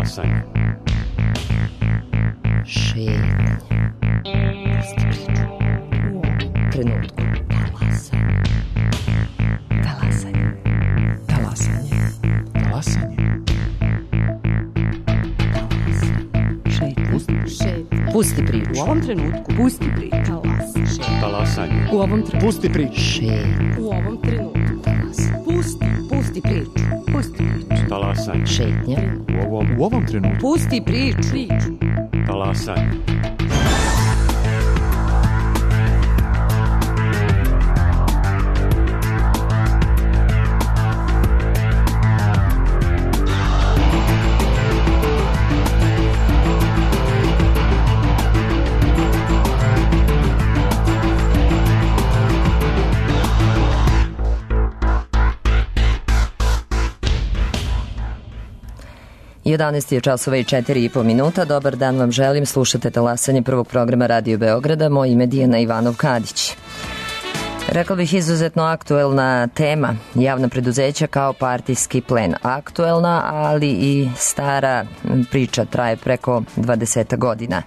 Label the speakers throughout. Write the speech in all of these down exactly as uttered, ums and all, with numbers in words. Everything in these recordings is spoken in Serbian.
Speaker 1: Talasanje.
Speaker 2: Šetanje. Pusti priču. U ovom trenutku. Talasanje. Talasanje. Talasanje.
Speaker 3: Talasanje.
Speaker 2: Šetanje. Pusti priču.
Speaker 4: U ovom trenutku. Pusti priču.
Speaker 1: Talasanje.
Speaker 4: U ovom trenutku.
Speaker 3: Pusti priču.
Speaker 2: Šetanje.
Speaker 4: U ovom trenutku. Pusti. Pusti priču. Pusti priču.
Speaker 1: Talasanje.
Speaker 2: Šetnja.
Speaker 3: U ovom, u ovom trenutku.
Speaker 4: Pusti priču. Priču.
Speaker 1: Talasanje.
Speaker 2: jedanaest je časova i četiri i po minuta. Dobar dan vam želim. Slušate Talasanje prvog programa Radio Beograda. Moje ime je Dijana Ivanov-Kadić. Rekla bih izuzetno aktuelna tema, javna preduzeća kao partijski plen. Aktuelna, ali i stara priča, traje preko dvadeset godina.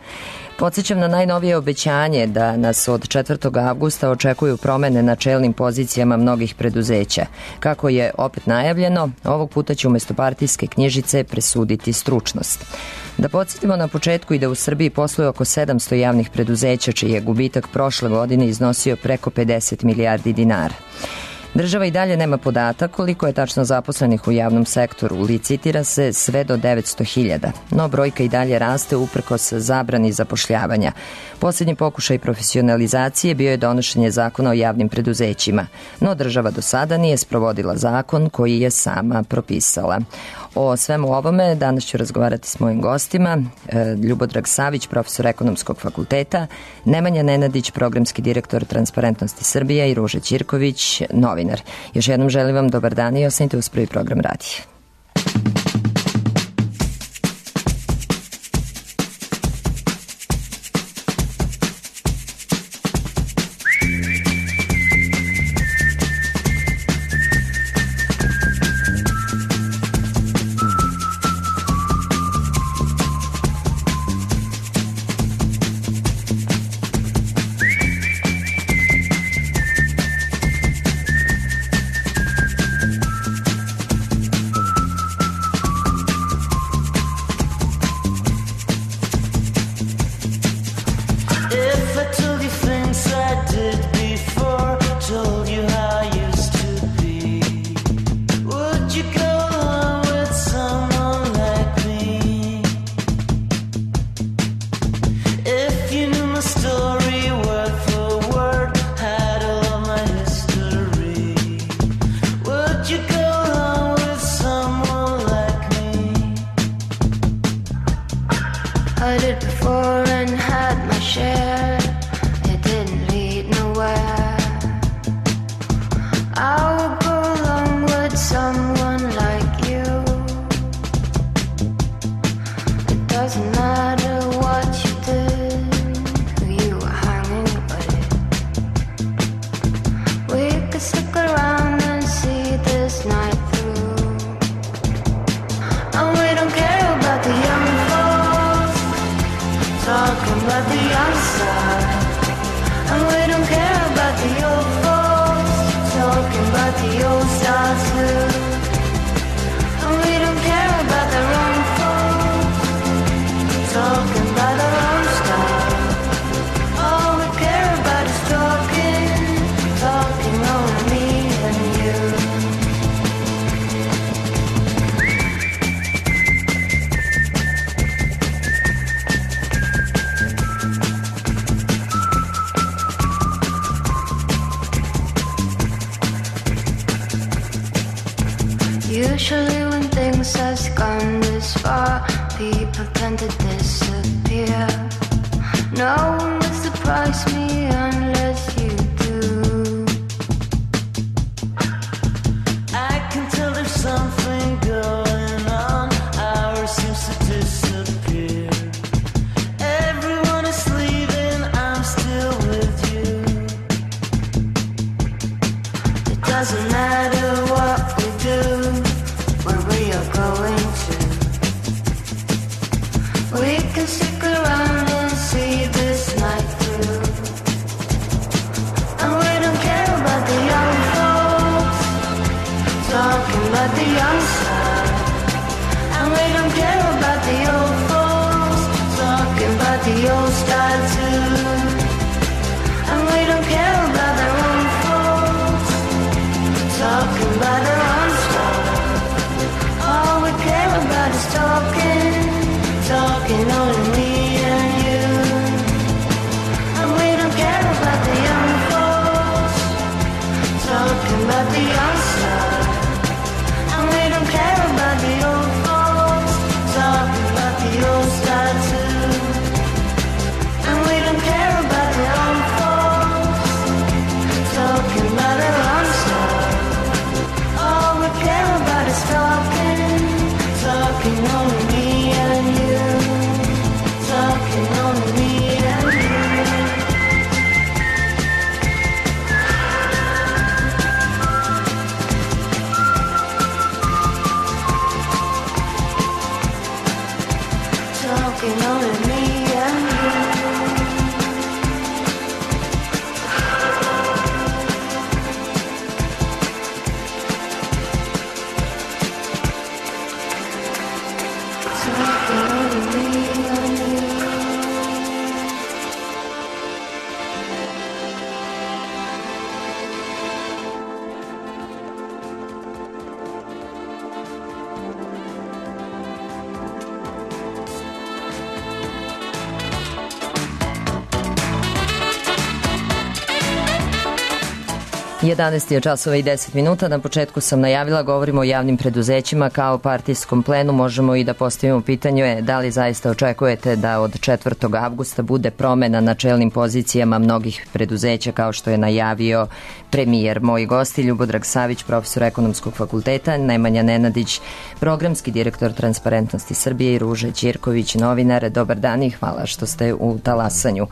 Speaker 2: Podsjećam na najnovije obećanje da nas od četvrtog avgusta očekuju promene na čelnim pozicijama mnogih preduzeća. Kako je opet najavljeno, ovog puta će umesto partijske knjižice presuditi stručnost. Da podsjetimo na početku i da u Srbiji posluje oko sedamsto javnih preduzeća, čiji je gubitak prošle godine iznosio preko pedeset milijardi dinara. Država i dalje nema podatak koliko je tačno zaposlenih u javnom sektoru. Licitira se sve do devetsto hiljada, no brojka i dalje raste uprkos zabrani zapošljavanja. Posljednji pokušaj profesionalizacije bio je donošenje zakona o javnim preduzećima, no država do sada nije sprovodila zakon koji je sama propisala. O svemu ovome danas ću razgovarati s mojim gostima. Ljubodrag Savić, profesor Ekonomskog fakulteta, Nemanja Nenadić, programski direktor Transparentnosti Srbije i Ruža Ćirković, novinar. Još jednom želim vam dobar dan i ostanite uz prvi program radija.
Speaker 5: Usually when things has gone this far, people tend to disappear. No one will surprise me unless you do. I can tell there's something going on. Ours seems to disappear. Everyone is leaving, I'm still with you. It doesn't matter what we do, where we are going to. about the young side, and we don't care about the old folks talking about the old style too. And we don't care about their own folks talking about their own style. All we care about is talking, talking only me and you. And we don't care about the young folks talking about the young side. And we don't care about the old folks talking about the old style too. And we don't care about the old folks talking about their own side. All we care about is talking, talking only me and you. Talking only me and you. Talking only me and you. Talking only me and you.
Speaker 2: jedanaest je časova i deset minuta. Na početku sam najavila, govorimo o javnim preduzećima kao partijskom plenu. Možemo i da postavimo pitanje da li zaista očekujete da od četvrtog avgusta bude promena na čelnim pozicijama mnogih preduzeća kao što je najavio premijer. Moji gosti Ljubodrag Savić, profesor Ekonomskog fakulteta, Nemanja Nenadić, programski direktor Transparentnosti Srbije i Ruža Ćirković, novinar. Dobar dan i hvala što ste u talasanju.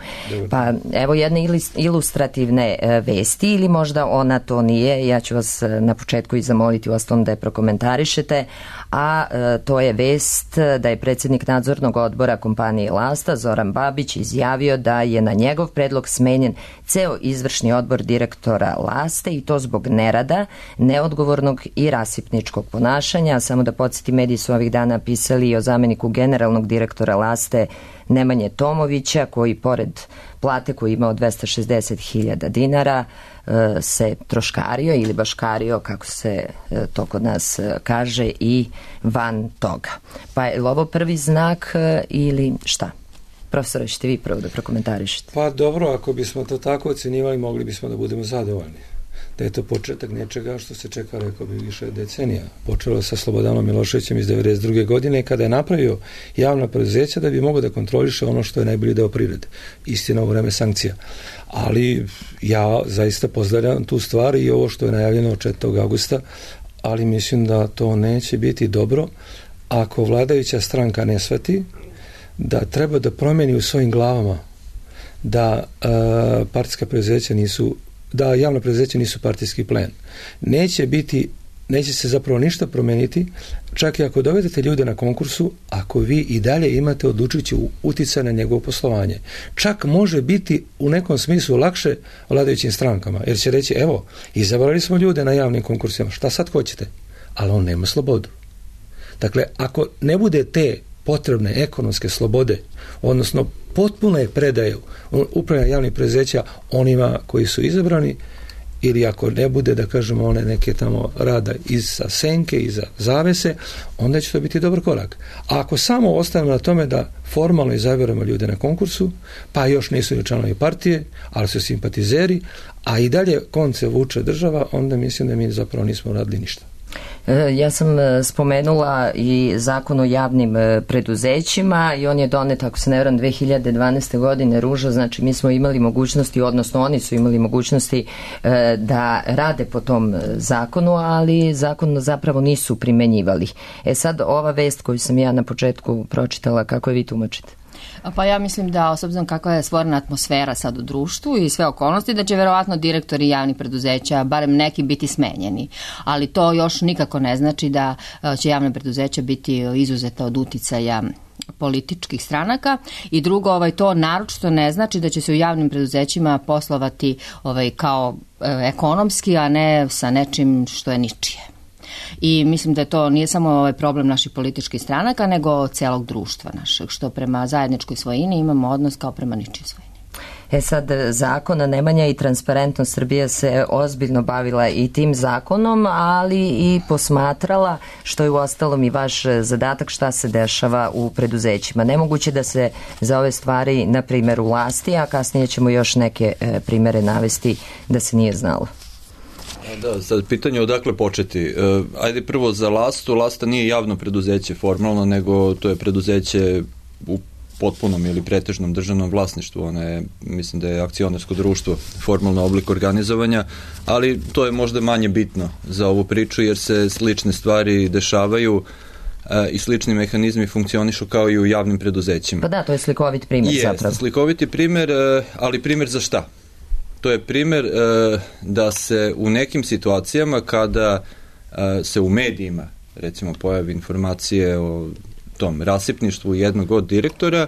Speaker 2: Pa evo jedne ilustrativne vesti ili možda ona to nije, ja ću vas na početku i zamoliti u ostalom da je prokomentarišete, a e, to je vest da je predsjednik nadzornog odbora kompanije Lasta, Zoran Babić, izjavio da je na njegov predlog smenjen ceo izvršni odbor direktora Laste i to zbog nerada, neodgovornog i rasipničkog ponašanja. Samo da podsjeti, mediji su ovih dana pisali i o zameniku generalnog direktora Laste Nemanje Tomovića, koji pored plate koju ima od dvesta šezdeset hiljada dinara se troškario ili baškario, kako se to kod nas kaže, i van toga. Pa je li ovo prvi znak ili šta? Profesore, ćete vi prvo da prokomentarišete?
Speaker 6: Pa dobro, ako bismo to tako ocenjivali, mogli bismo da budemo zadovoljni. Da je to početak nečega što se čeka, rekao bi, više decenija. Počelo sa Slobodanom Miloševićem iz devedeset druge godine kada je napravio javna preduzeća da bi mogao da kontroliše ono što je najbolji deo privrede. Istina u vreme sankcija. Ali ja zaista pozdravljam tu stvar i ovo što je najavljeno od četvrtog avgusta, ali mislim da to neće biti dobro ako vladajuća stranka ne shvati da treba da promeni u svojim glavama da uh, partijska preduzeća nisu da javna preduzeća nisu partijski plen. Neće biti, neće se zapravo ništa promeniti, čak i ako dovedete ljude na konkursu, ako vi i dalje imate odlučujući uticaj na njegovo poslovanje. Čak može biti u nekom smislu lakše vladajućim strankama, jer će reći, evo, izabrali smo ljude na javnim konkursima, šta sad hoćete? Ali on nema slobodu. Dakle, ako ne bude te potrebne ekonomske slobode, odnosno potpune predaje upravljanja javnih preduzeća onima koji su izabrani, ili ako ne bude, da kažemo, one neke tamo rada iza senke, iza zavese, onda će to biti dobar korak. A ako samo ostavimo na tome da formalno izaberemo ljude na konkursu, pa još nisu ni članovi partije, ali su simpatizeri, a i dalje konce vuče država, onda mislim da mi zapravo nismo radili ništa.
Speaker 2: Ja sam spomenula i zakon o javnim preduzećima i on je donet, ako se ne varam, dve hiljade dvanaeste. godine, Ruža, znači mi smo imali mogućnosti, odnosno oni su imali mogućnosti da rade po tom zakonu, ali zakon zapravo nisu primenjivali. E sad, ova vest koju sam ja na početku pročitala, kako je vi tumačite?
Speaker 4: Pa ja mislim da, s obzirom kakva je stvorena atmosfera sad u društvu i sve okolnosti, da će verovatno direktori javnih preduzeća, barem neki, biti smenjeni. Ali to još nikako ne znači da će javna preduzeća biti izuzeta od uticaja političkih stranaka. I drugo, ovaj, to naročito ne znači da će se u javnim preduzećima poslovati ovaj, kao e, ekonomski, a ne sa nečim što je ničije. I mislim da je to nije samo ovaj problem naših političkih stranaka, nego celog društva našeg, što prema zajedničkoj svojini imamo odnos kao prema ničoj svojini.
Speaker 2: E sad, zakona Nemanja i Transparentnost Srbija se ozbiljno bavila i tim zakonom, ali i posmatrala, što je uostalom i vaš zadatak, šta se dešava u preduzećima. Nemoguće da se za ove stvari, na primjer, u Lasti, a kasnije ćemo još neke e, primere navesti da se nije znalo.
Speaker 7: Da, sad pitanje odakle početi. E, ajde prvo za Lastu. Lasta nije javno preduzeće formalno, nego to je preduzeće u potpunom ili pretežnom državnom vlasništvu. Ona je, mislim da je akcionarsko društvo formalno oblik organizovanja, ali to je možda manje bitno za ovu priču, jer se slične stvari dešavaju e, i slični mehanizmi funkcionišu kao i u javnim preduzećima.
Speaker 2: Pa da, to je slikovit primjer
Speaker 7: je,
Speaker 2: zapravo.
Speaker 7: Slikovit je primjer, e, ali primjer za šta? To je primjer e, da se u nekim situacijama kada e, se u medijima recimo pojavi informacije o tom rasipništvu jednog od direktora,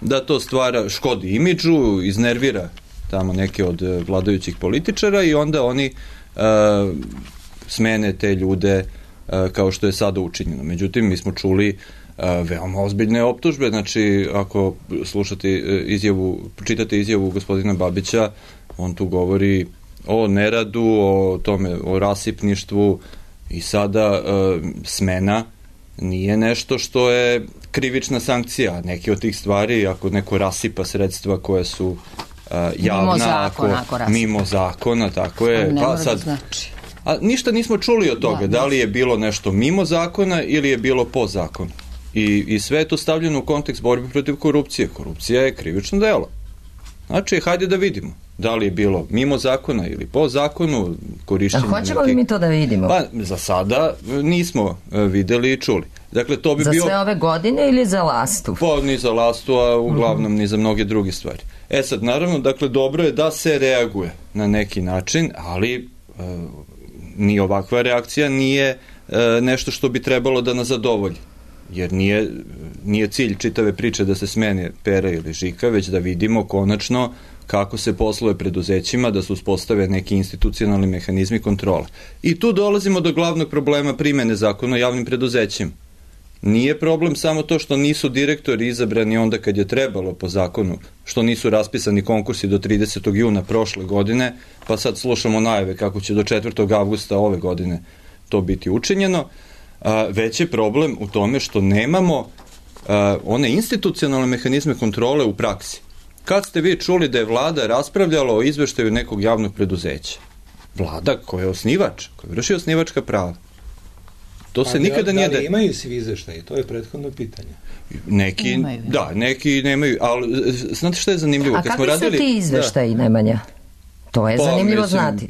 Speaker 7: da to stvara, škodi imidžu, iznervira tamo neke od vladajućih političara i onda oni e, smene te ljude e, kao što je sada učinjeno. Međutim, mi smo čuli e, veoma ozbiljne optužbe, znači ako slušate izjavu, čitate izjavu gospodina Babića, on tu govori o neradu, o tome, o rasipništvu i sada e, smena nije nešto što je krivična sankcija. Neke od tih stvari, ako neko rasipa sredstva koja su uh, javna,
Speaker 4: mimo zakona,
Speaker 7: ako,
Speaker 4: ako
Speaker 7: mimo zakona, tako je.
Speaker 4: Ne
Speaker 7: pa sad,
Speaker 4: znači.
Speaker 7: A ništa nismo čuli od toga, da, da li je bilo nešto mimo zakona ili je bilo po zakonu. I, i sve je to stavljeno u kontekst borbe protiv korupcije. Korupcija je krivično delo. Znači, hajde da vidimo. Da li je bilo mimo zakona ili po zakonu, korišćenje.
Speaker 2: A hoćemo
Speaker 7: neke...
Speaker 2: li mi to da vidimo?
Speaker 7: Pa, za sada nismo videli i čuli. Dakle, to bi
Speaker 2: za
Speaker 7: bio...
Speaker 2: sve ove godine ili za Lastu?
Speaker 7: Pa, ni za Lastu, a uglavnom mm-hmm. ni za mnoge druge stvari. E sad, naravno, dakle, dobro je da se reaguje na neki način, ali e, ni ovakva reakcija nije e, nešto što bi trebalo da nas zadovolji. Jer nije, nije cilj čitave priče da se smene Pera ili Žika, već da vidimo konačno kako se posluje preduzećima, da se uspostave neki institucionalni mehanizmi kontrole. I tu dolazimo do glavnog problema primene zakona o javnim preduzećima. Nije problem samo to što nisu direktori izabrani onda kad je trebalo po zakonu, što nisu raspisani konkursi do tridesetog juna prošle godine, pa sad slušamo najave kako će do četvrtog avgusta ove godine to biti učinjeno, a, već je problem u tome što nemamo a, one institucionalne mehanizme kontrole u praksi. Kad ste vi čuli da je vlada raspravljala o izveštaju nekog javnog preduzeća? Vlada koja je osnivač, koja vrši osnivačka prava. To se nikada nije...
Speaker 6: Da li imaju svi izveštaji? To je prethodno pitanje.
Speaker 7: Neki,
Speaker 4: imaju.
Speaker 7: Da, neki nemaju, ali znate šta je zanimljivo?
Speaker 2: A
Speaker 7: Kad
Speaker 2: kakvi
Speaker 7: smo radili,
Speaker 2: su ti izveštaji, da. Nemanja? To je
Speaker 7: pa,
Speaker 2: zanimljivo
Speaker 7: mislim,
Speaker 2: znati.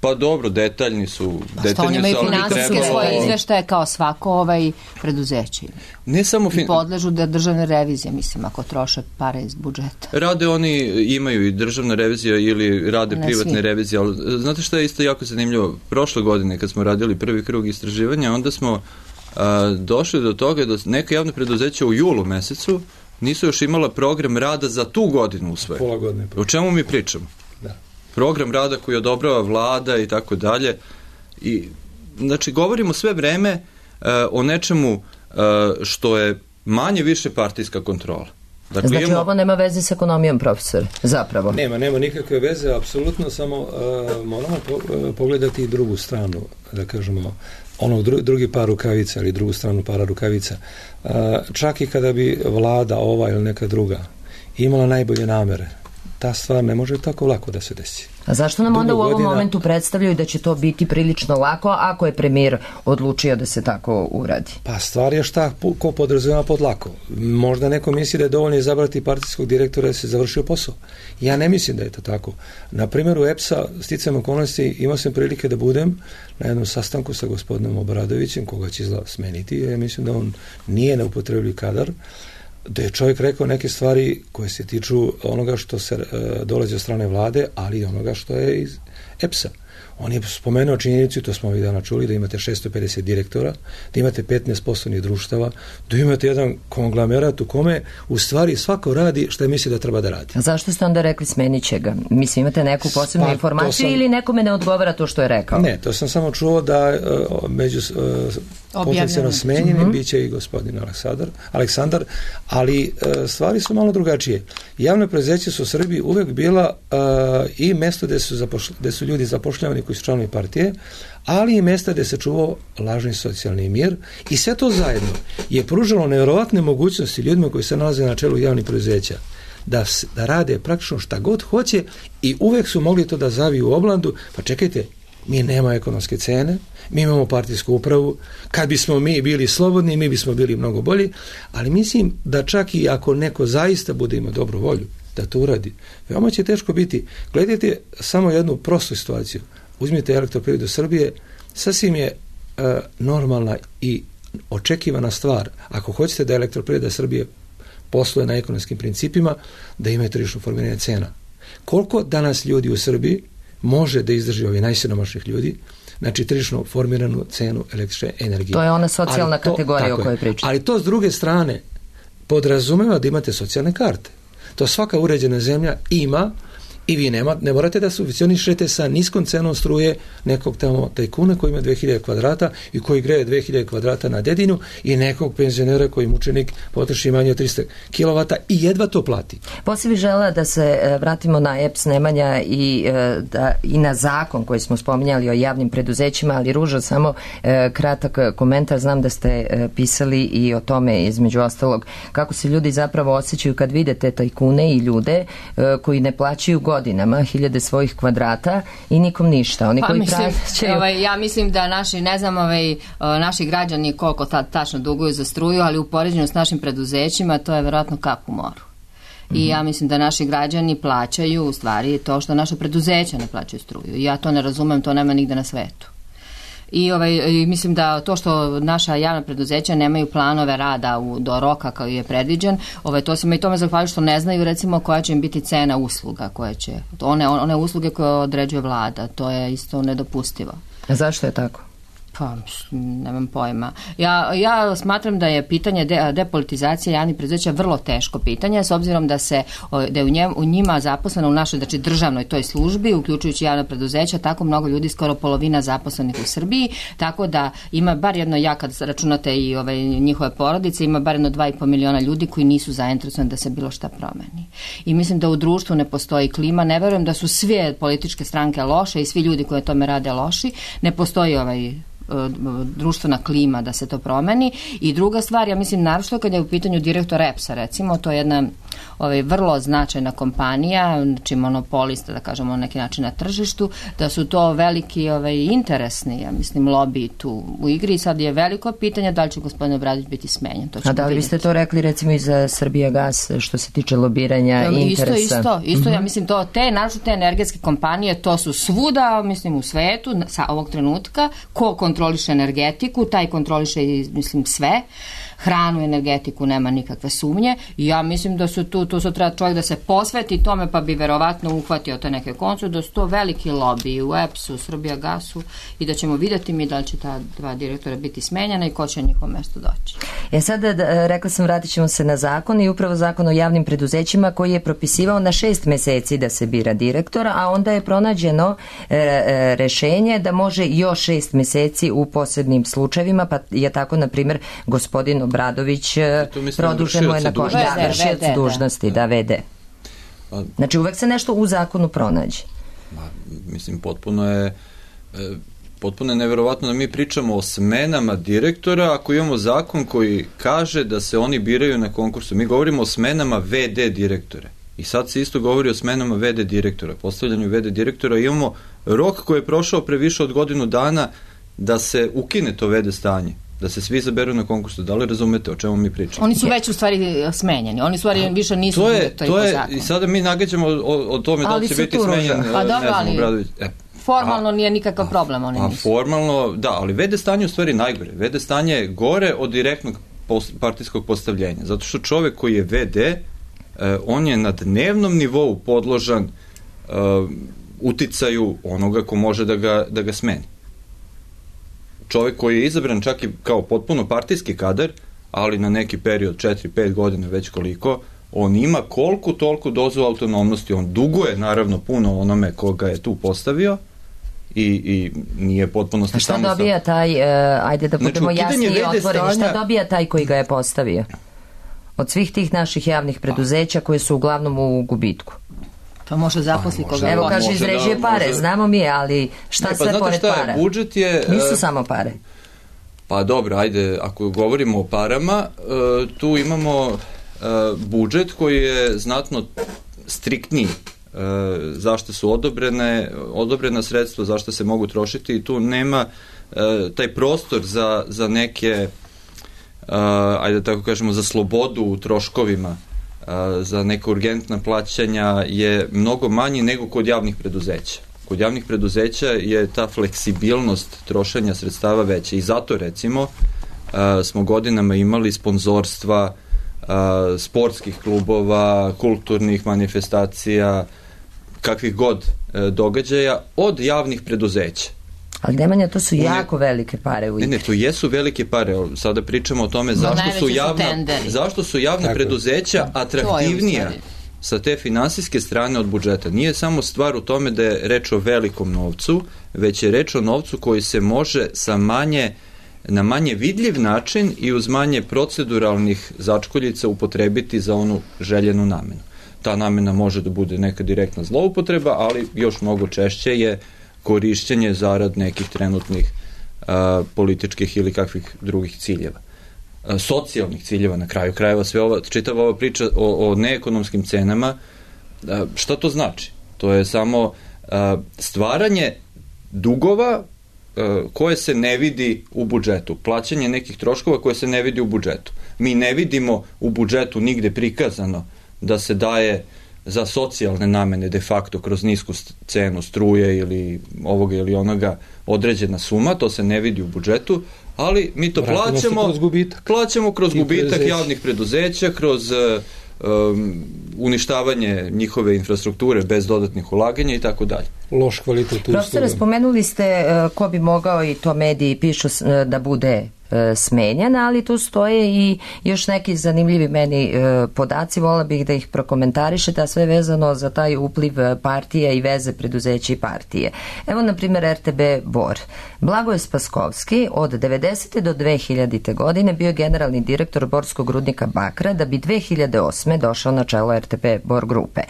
Speaker 7: Pa dobro, detaljni su.
Speaker 4: Pa što oni imaju finansijske
Speaker 7: trebalo...
Speaker 4: svoje izveštaje kao svako ovaj preduzeće.
Speaker 7: Ne samo fin...
Speaker 4: I podležu da državne revizije, mislim, ako troše pare iz budžeta.
Speaker 7: Rade oni, imaju i državna revizija ili rade
Speaker 4: ne
Speaker 7: privatne
Speaker 4: svi.
Speaker 7: revizije, ali znate šta je isto jako zanimljivo? Prošle godine kad smo radili prvi krug istraživanja, onda smo a, došli do toga da neka javna preduzeća u julu mesecu nisu još imala program rada za tu godinu usvojen.
Speaker 6: Pola godine.
Speaker 7: O čemu mi pričamo?
Speaker 6: Da.
Speaker 7: Program rada koji odobrava vlada i tako dalje. I, znači, govorimo sve vreme uh, o nečemu uh, što je manje više partijska kontrola.
Speaker 2: Dakle, znači, imamo... ovo nema veze s ekonomijom, profesor, zapravo.
Speaker 6: Nema, nema nikakve veze, apsolutno, samo uh, moramo po, uh, pogledati i drugu stranu, da kažemo, onog dru, drugi par rukavica ili drugu stranu para rukavica. Uh, čak i kada bi vlada ova ili neka druga imala najbolje namere, ta stvar ne može tako lako da se desi.
Speaker 2: A zašto nam
Speaker 6: Dugo
Speaker 2: onda u ovom
Speaker 6: godina...
Speaker 2: momentu predstavljaju da će to biti prilično lako ako je premijer odlučio da se tako uradi?
Speaker 6: Pa stvar je šta ko podrazumeva pod lako. Možda neko misli da je dovoljno izabrati partijskog direktora da se završio posao. Ja ne mislim da je to tako. Na primjeru E P S-a, sticajem okolnosti, imao sam prilike da budem na jednom sastanku sa gospodinom Obradovićem, koga će izgleda smeniti. Ja mislim da on nije neupotrebljiv kadar, da je čovjek rekao neke stvari koje se tiču onoga što se e, dolazi od strane vlade, ali i onoga što je iz E P S-a. On je spomenuo činjenicu, to smo ovih dana čuli, da imate šesto pedeset direktora, da imate petnaest poslovnih društava, da imate jedan konglomerat u kome u stvari svako radi što misli da treba da radi.
Speaker 2: A zašto ste onda rekli smenit će ga? Mislim, imate neku posebnu
Speaker 6: Pa,
Speaker 2: informaciju
Speaker 6: sam,
Speaker 2: ili nekome ne odgovara to što je rekao?
Speaker 6: Ne, to sam samo čuo da uh, među uh, potencijalno smenjenim uh-huh. bit će i gospodin Aleksandar, Aleksandar, ali uh, stvari su malo drugačije. Javne preduzeća su u Srbiji uvek bila uh, i mesto gde su, zapošl- gde su ljudi zapošljavani koji su članovi partije, ali i mesta gde se čuvao lažni socijalni mir i sve to zajedno je pružalo nevjerovatne mogućnosti ljudima koji se nalaze na čelu javnih preduzeća da, da rade praktično šta god hoće i uvek su mogli to da zaviju u oblandu. Pa čekajte, mi nema ekonomske cene, mi imamo partijsku upravu, kad bismo mi bili slobodni, mi bismo bili mnogo bolji, ali mislim da čak i ako neko zaista bude imao dobru volju da to uradi, veoma će teško biti. Gledajte samo jednu prostu situaciju. Uzmite Elektroprivredu Srbije, sasvim je e, normalna i očekivana stvar. Ako hoćete da Elektroprivreda Srbije posluje na ekonomskim principima, da ima tržišno formiranje cena. Koliko danas ljudi u Srbiji može da izdrži ovi najsiromašnijih ljudi, znači tržišno formiranu cenu električne energije.
Speaker 2: To je ona socijalna
Speaker 6: to,
Speaker 2: kategorija o kojoj pričate.
Speaker 6: Ali to s druge strane podrazumeva da imate socijalne karte. To svaka uređena zemlja ima i vi nema, ne morate da subvencionišete sa niskom cenom struje nekog tamo tajkuna koji ima dve hiljade kvadrata i koji greje dve hiljade kvadrata na dedinu i nekog penzionera koji mučenik potroši manje od trista kilovata i jedva to plati.
Speaker 2: Poslije bih želela da se vratimo na E P S Nemanja i, da, i na zakon koji smo spominjali o javnim preduzećima, ali Ruža, samo e, kratak komentar. Znam da ste e, pisali i o tome, između ostalog, kako se ljudi zapravo osjećaju kad vide te tajkune i ljude e, koji ne plaćaju godinama hiljade svojih kvadrata i nikom ništa. Oni
Speaker 4: pa,
Speaker 2: koji
Speaker 4: mislim,
Speaker 2: plaćaju...
Speaker 4: ovaj, ja mislim da naši, ne znam, ovaj, naši građani koliko tad tačno duguju za struju, ali u poređenju s našim preduzećima to je verovatno kap u moru. I mm-hmm. ja mislim da naši građani plaćaju u stvari to što naše preduzeća ne plaćaju struju. I ja to ne razumem, to nema nigde na svetu. I ovaj, mislim da to što naša javna preduzeća nemaju planove rada u, do roka kao je predviđen, ovaj, to se me i tome zahvaljuju što ne znaju recimo koja će im biti cena usluga koje će, one, one usluge koje određuje vlada, to je isto nedopustivo.
Speaker 2: A zašto je tako?
Speaker 4: Pa, nemam pojma. Ja, ja smatram da je pitanje de, depolitizacije javnih preduzeća vrlo teško pitanje, s obzirom da se da je u, njem, u njima zaposleno u našoj, znači državnoj toj službi, uključujući javna preduzeća, tako mnogo ljudi, skoro polovina zaposlenih u Srbiji, tako da ima bar jedno, ja kad računate i ove njihove porodice, ima bar jedno dva i po miliona ljudi koji nisu zainteresovani da se bilo šta promeni. I mislim da u društvu ne postoji klima, ne verujem da su sve političke stranke loše i svi ljudi koji tome rade loši, ne postoji ovaj društvena klima da se to promeni. I druga stvar, ja mislim naročito kad je u pitanju direktor E P S-a, recimo, to je jedna ovaj, vrlo značajna kompanija, znači monopolista, da kažemo, na neki način na tržištu, da su to veliki ovaj, interesni, ja mislim, lobby tu u igri i sad je veliko pitanje da li će gospodin Obradović biti smenjen. To
Speaker 2: A da li biste to rekli recimo i za Srbijagas što se tiče lobiranja ja, interesa?
Speaker 4: Isto, isto, isto mm-hmm. ja mislim to, te, naročito te energetske kompanije, to su svuda, mislim, u svetu, sa ovog trenutka, ko kontroliše energetiku, taj kontroliše, mislim, sve. Hranu, energetiku, nema nikakve sumnje i ja mislim da su tu, tu su treba čovjek da se posveti tome pa bi verovatno uhvatio te neke koncu, da su to veliki lobby u E P S-u, Srbijagasu i da ćemo vidjeti mi da li će ta dva direktora biti smenjena i ko će na njihovo mesto doći.
Speaker 2: E sada, da, rekla sam, vratit ćemo se na zakon i upravo zakon o javnim preduzećima koji je propisivao na šest meseci da se bira direktora, a onda je pronađeno e, e, rešenje da može još šest meseci u posebnim slučajevima, pa je tako, na primjer, gospodin Obradović produženo je na vršioc dužnosti, da, V D. Znači uvek se nešto u zakonu pronađe.
Speaker 7: Ma, mislim, potpuno je e, potpuno je neverovatno da mi pričamo o smenama direktora ako imamo zakon koji kaže da se oni biraju na konkursu. Mi govorimo o smenama V D direktora. I sad se isto govori o smenama V D direktora, postavljanju V D direktora. Imamo rok koji je prošao pre više od godinu dana da se ukine to V D stanje, da se svi zaberu na konkursu. Da li razumete o čemu mi pričamo?
Speaker 4: Oni su već u stvari smenjeni. Oni u stvari A, više nisu
Speaker 7: to je, to je, i sada mi nagađamo o, o tome ali da li će biti smenjen.
Speaker 4: Pa dobro, ali e, formalno a, nije nikakav problem. Oni
Speaker 7: a,
Speaker 4: nisu.
Speaker 7: Formalno, da, ali V D stanje u stvari najgore. V D stanje je gore od direktnog post, partijskog postavljenja. Zato što čovek koji je V D, eh, on je na dnevnom nivou podložan eh, uticaju onoga ko može da ga, da ga smeni. Čovjek koji je izabran čak i kao potpuno partijski kadar, ali na neki period, četiri pet godina, već koliko, on ima koliko toliko dozu autonomnosti, on duguje naravno puno onome koga je tu postavio i, i nije potpuno...
Speaker 2: A šta dobija taj, uh, ajde da budemo
Speaker 7: znači,
Speaker 2: jasni i otvoreni,
Speaker 7: stanja...
Speaker 2: šta dobija taj koji ga je postavio? Od svih tih naših javnih preduzeća koje su uglavnom u gubitku.
Speaker 4: Pa može zaposli
Speaker 7: pa,
Speaker 4: koga
Speaker 7: može,
Speaker 2: Evo
Speaker 7: da,
Speaker 2: kaže
Speaker 7: može
Speaker 2: izrežije
Speaker 7: da,
Speaker 2: pare,
Speaker 7: može...
Speaker 2: znamo mi, ali šta
Speaker 7: ne, pa,
Speaker 2: sve pored
Speaker 7: šta je,
Speaker 2: para?
Speaker 7: Budžet je...
Speaker 2: Nisu
Speaker 7: uh,
Speaker 2: samo pare.
Speaker 7: Pa dobro, ajde, ako govorimo o parama, uh, tu imamo uh, budžet koji je znatno striktniji, uh, zašto su odobrene, odobrena sredstva, zašto se mogu trošiti i tu nema uh, taj prostor za, za neke, uh, ajde tako kažemo, za slobodu u troškovima, uh, za neka urgentna plaćanja je mnogo manji nego kod javnih preduzeća. Kod javnih preduzeća je ta fleksibilnost trošenja sredstava veća i zato recimo uh, smo godinama imali sponzorstva uh, sportskih klubova, kulturnih manifestacija, kakvih god uh, događaja od javnih preduzeća.
Speaker 2: Ali Nemanja, to su jako ne, velike pare u igri.
Speaker 7: Ne, ne, to jesu velike pare. Sada pričamo o tome zašto su javna, zašto su javna preduzeća atraktivnija sa te finansijske strane od budžeta. Nije samo stvar u tome da je reč o velikom novcu, već je reč o novcu koji se može sa manje, na manje vidljiv način i uz manje proceduralnih začkoljica upotrebiti za onu željenu namenu. Ta namena može da bude neka direktna zloupotreba, ali još mnogo češće je korišćenje zarad nekih trenutnih a, političkih ili kakvih drugih ciljeva. A, socijalnih ciljeva na kraju krajeva, sve ova, čitava ova priča o, o neekonomskim cenama, a, šta to znači? To je samo a, stvaranje dugova a, koje se ne vidi u budžetu, plaćanje nekih troškova koje se ne vidi u budžetu. Mi ne vidimo u budžetu nigde prikazano da se daje za socijalne namene de facto kroz nisku cenu struje ili ovoga ili onoga određena suma, to se ne vidi u budžetu, ali mi to
Speaker 6: Vratimo
Speaker 7: plaćamo
Speaker 6: kroz gubitak,
Speaker 7: plaćamo kroz gubitak
Speaker 6: preduzeća.
Speaker 7: javnih preduzeća, kroz um, uništavanje njihove infrastrukture bez dodatnih ulaganja i tako dalje.
Speaker 6: Loš kvalitet usluga.
Speaker 2: Profesore, spomenuli ste uh, ko bi mogao, i to mediji pišu, uh, da bude smenjen, ali tu stoje i još neki zanimljivi meni e, podaci, vola bih da ih prokomentarišete, a sve vezano za taj upliv partije i veze preduzeća i partije. Evo, na primjer, er te be Bor. Blagoje Spaskovski od devedesete do dve hiljadite godine bio generalni direktor borskog rudnika bakra, da bi dve hiljade osme došao na čelo er te be Bor grupe.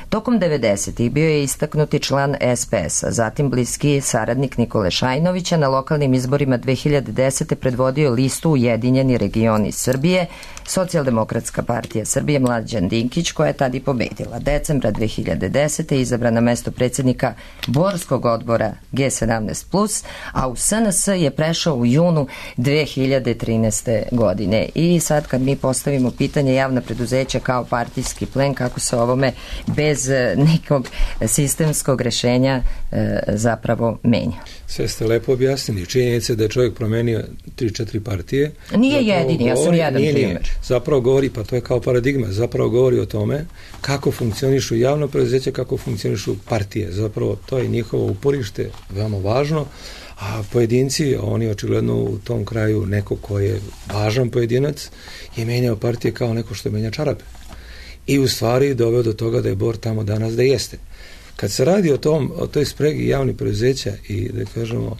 Speaker 2: Tokom devedesetih bio je istaknuti član es pe es-a, zatim bliski saradnik Nikole Šajnovića, na lokalnim izborima dve hiljade desete predvodio listu Ujedinjeni regioni Srbije, Socijaldemokratska partija Srbije, Mlađan Dinkić, koja je tad i pobedila. Decembra dve hiljade desete izabran na mesto predsjednika Borskog odbora ge sedamnaest plus, a u es en es je prešao u junu dve hiljade trinaeste. godine. I sad kad mi postavimo pitanje javna preduzeća kao partijski plen, kako se ovome bez nekog sistemskog rešenja e, zapravo menja.
Speaker 6: Sve ste lepo objasnili. Činjenica da je čovjek promenio tri četiri partije.
Speaker 2: Nije jedini, ja sam jedan
Speaker 6: nije,
Speaker 2: primjer.
Speaker 6: Nije. Zapravo govori, pa to je kao paradigma, zapravo govori o tome kako funkcionišu javno preduzeće, kako funkcionišu partije. Zapravo to je njihovo uporište, veoma važno, a pojedinci, oni očigledno u tom kraju neko ko je važan pojedinac, je menjao partije kao neko što menja čarape. I u stvari doveo do toga da je Bor tamo danas da jeste. Kad se radi o tom, o toj spregi javnih preduzeća i da kažemo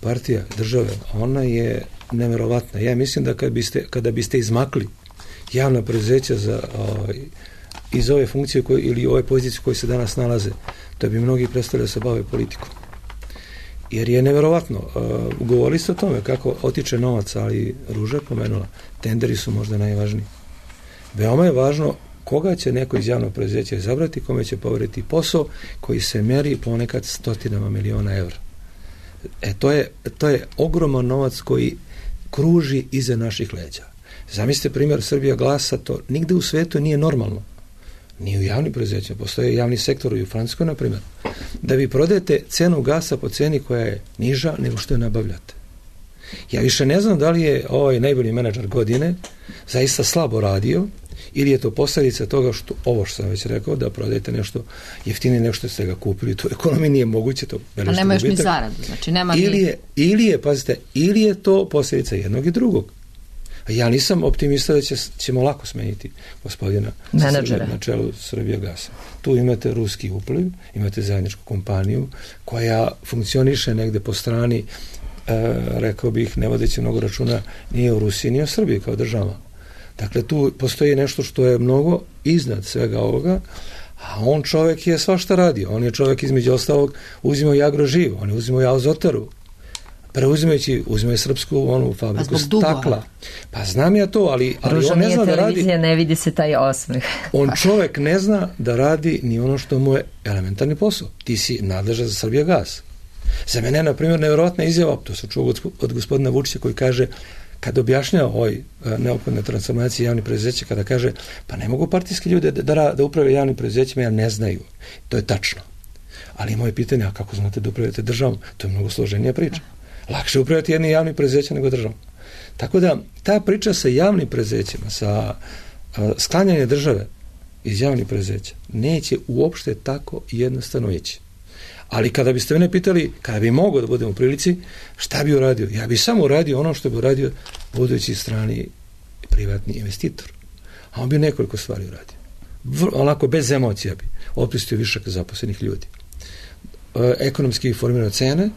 Speaker 6: partija države, ona je neverovatna. Ja mislim da kad biste, kada biste izmakli javna preduzeća za, o, iz ove funkcije koje, ili ove pozicije koje se danas nalaze, da bi mnogi prestali da se bave politikom. Jer je neverovatno. Uh, govorili ste o tome kako otiče novac, ali Ruža je pomenula, tenderi su možda najvažniji. Veoma je važno koga će neko iz javnog preduzeća izabrati, kome će poveriti posao koji se meri ponekad stotinama miliona evra. E, to je, to je ogroman novac koji kruži iza naših leđa. Zamislite primjer Srbija glasa, to nigde u svetu nije normalno. Nije u javnim preduzećima, postoje javni sektor i u Francuskoj, na primjer. Da vi prodajete cenu gasa po ceni koja je niža nego što je nabavljate. Ja više ne znam da li je ovaj najbolji menadžer godine zaista slabo radio ili je to posljedica toga što, ovo što sam već rekao, da prodajete nešto jeftinije nego što ste ga kupili, to u ekonomiji nije moguće, to
Speaker 4: a nema još ni zaradu, znači nema
Speaker 6: ili
Speaker 4: ni...
Speaker 6: je, ili je, pazite, ili je to posljedica jednog i drugog. A ja nisam optimista da će, ćemo lako smeniti gospodina
Speaker 2: menadžera
Speaker 6: na čelu Srbijagasa. Tu imate ruski upliv, imate zajedničku kompaniju koja funkcioniše negde po strani, e, rekao bih, ne vodeći mnogo računa, nije u Rusiji, nije u Srbiji kao država. Dakle, tu postoji nešto što je mnogo iznad svega ovoga, a on čovek je svašta radio. On je čovek između ostalog uzimao i Agroživ, on je uzimao i Azotaru, preuzimajući, uzimaju srpsku onu fabriku stakla. Pa znam ja to, ali, ali
Speaker 2: Ruža
Speaker 6: on ne zna da radi.
Speaker 2: Ne vidi se taj osmeh.
Speaker 6: On čovek ne zna da radi ni ono što mu je elementarni posao. Ti si nadležan za Srbijagas. Za mene je, na primjer, nevjerojatna izjava, to sam čuo od, od gospodina Vučića koji kaže, kad objašnjava ovoj neophodne transformacije javnih preduzeća, kada kaže, pa ne mogu partijski ljude da, da, da uprave javnim preduzećima, jer ne znaju. To je tačno. Ali moje pitanje, a kako znate da upravljate državom? To je mnogo složenija priča. Lakše upravljati jedni javni preduzeća nego državom. Tako da, ta priča sa javnim preduzećima, sa uh, sklanjanje države iz javnih preduzeća, neće uopšte tako jednostavno ići. Ali kada biste mene pitali, kada bi mogao da budem u prilici, šta bi uradio? Ja bi samo uradio ono što bi uradio budući strani privatni investitor. A on bi nekoliko stvari uradio. Vr, onako, bez emocija bi otpustio višak zaposlenih ljudi. E, ekonomski formirao cene,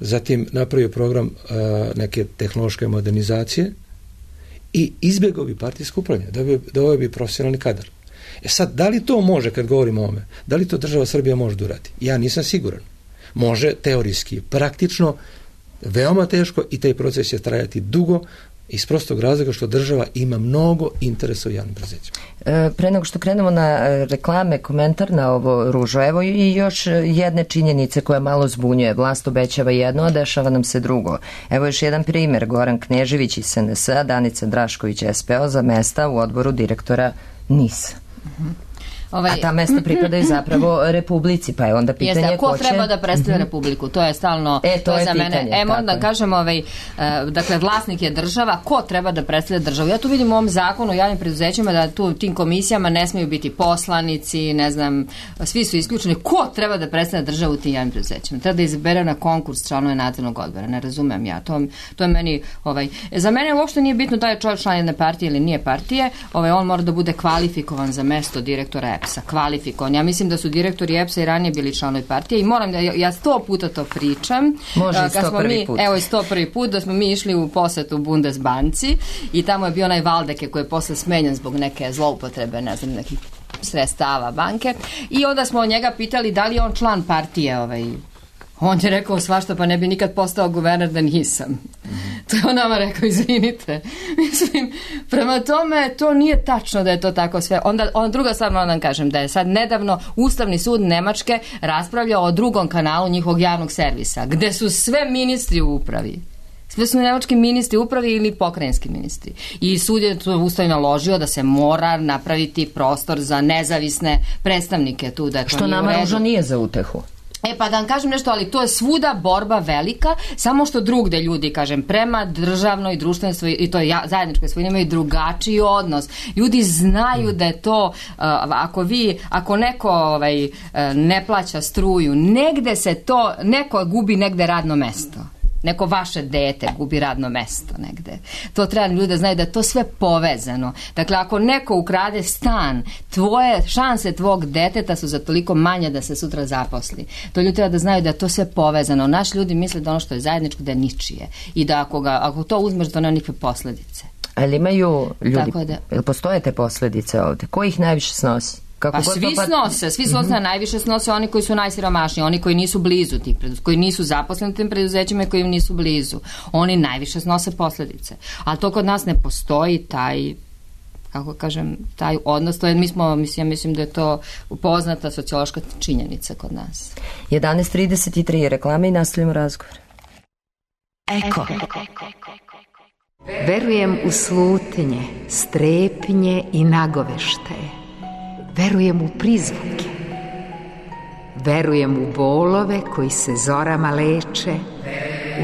Speaker 6: zatim napravio program uh, neke tehnološke modernizacije i izbjegao bi partijsko upravljanje, da bi, da ovaj bi profesionalni kadar. E sad, da li to može, kad govorimo o ome, da li to država Srbija može da uradi? Ja nisam siguran. Može teorijski, praktično, veoma teško i taj proces će trajati dugo, iz prostog razloga što država ima mnogo interesa u javnim preduzećima.
Speaker 2: E, pre nego što krenemo na reklame, komentar na ovo, Ružo, evo i još jedne činjenice koja malo zbunjuje. Vlast obećava jedno, a dešava nam se drugo. Evo još jedan primjer, Goran Knežević iz S N S A, Danica Drašković S P O za mesta u odboru direktora N I S. Uh-huh. Ovaj, a ta mesta pripadaju zapravo Republici, pa je onda pitanje
Speaker 4: jeste, ko,
Speaker 2: ko će...
Speaker 4: treba da predstavlja mm-hmm. Republiku, to je stalno,
Speaker 2: e, to,
Speaker 4: to je
Speaker 2: je
Speaker 4: za
Speaker 2: pitanje,
Speaker 4: mene, e, moram da
Speaker 2: je.
Speaker 4: kažem, ovaj, uh, dakle, vlasnik je država, ko treba da predstavlja državu? Ja tu vidim u ovom zakonu o javnim preduzećima da tu tim komisijama ne smiju biti poslanici, ne znam, svi su isključeni, ko treba da predstavlja državu u tim javnim preduzećima? Treba da izbere na konkurs članove nadzornog odbora, ne razumem ja, to, to je meni, ovaj, za mene uopšte nije bitno da je čovjek član jedne partije ili nije partije, ovaj, on mora da bude kvalifikovan za mesto direktora E P S-a, kvalifikovan. Ja mislim da su direktori E P S-a i ranije bili članovi partije i moram da, ja sto puta to pričam.
Speaker 2: Može i sto prvi put.
Speaker 4: Evo i sto prvi put da smo mi išli u posetu Bundesbanci i tamo je bio onaj Valdeke koji je posle smenjen zbog neke zloupotrebe, ne znam, nekih sredstava banke i onda smo njega pitali da li je on član partije ovaj. On je rekao svašta, pa ne bi nikad postao guverner da nisam. Mm-hmm. To je on nama rekao, izvinite. Mislim, prema tome, to nije tačno da je to tako sve. Onda, onda druga stvar moram da vam kažem, da je sad nedavno Ustavni sud Nemačke raspravljao o drugom kanalu njihovog javnog servisa, gde su sve ministri u upravi. Sve su nemački ministri upravi ili pokrajinski ministri. I sud je to Ustav naložio da se mora napraviti prostor za nezavisne predstavnike tu. Da to
Speaker 2: što nama Ruža nije za utehu.
Speaker 4: E pa da vam kažem nešto, ali to je svuda borba velika, samo što drugde ljudi, kažem, prema državnoj, društvenoj svoj, i to je zajedničkoj svojini imaju drugačiji odnos. Ljudi znaju da je to, uh, ako vi, ako neko ovaj, uh, ne plaća struju, negde se to, neko gubi negde radno mesto. Neko vaše dete gubi radno mesto negde. To treba ljudi da znaju da je to sve povezano. Dakle, ako neko ukrade stan, tvoje šanse tvog deteta su za toliko manje da se sutra zaposli. To ljudi treba da znaju da je to sve povezano. Naši ljudi misle da ono što je zajedničko da je ničije. I da ako, ga, ako to uzmeš, da nema nikakve posledice.
Speaker 2: Ali imaju ljudi,
Speaker 4: da,
Speaker 2: ili postoje te posledice ovde? Ko ih najviše snosi? Kako
Speaker 4: pa svi pa... snose, svi snose, mm-hmm. najviše snose oni koji su najsiromašniji, oni koji nisu blizu tih preduzeća, koji nisu zaposleni tim preduzećima i koji im nisu blizu. Oni najviše snose posljedice. Ali to kod nas ne postoji taj, kako kažem, taj odnos. To je, mi smo, mislim, ja mislim da je to poznata sociološka činjenica kod nas.
Speaker 2: jedanaest trideset tri reklame i nastavljamo razgovor.
Speaker 8: Eko. Verujem u slutnje, strepnje i nagoveštaje. Verujem u prizvuke. Verujem u bolove koji se zorama leče,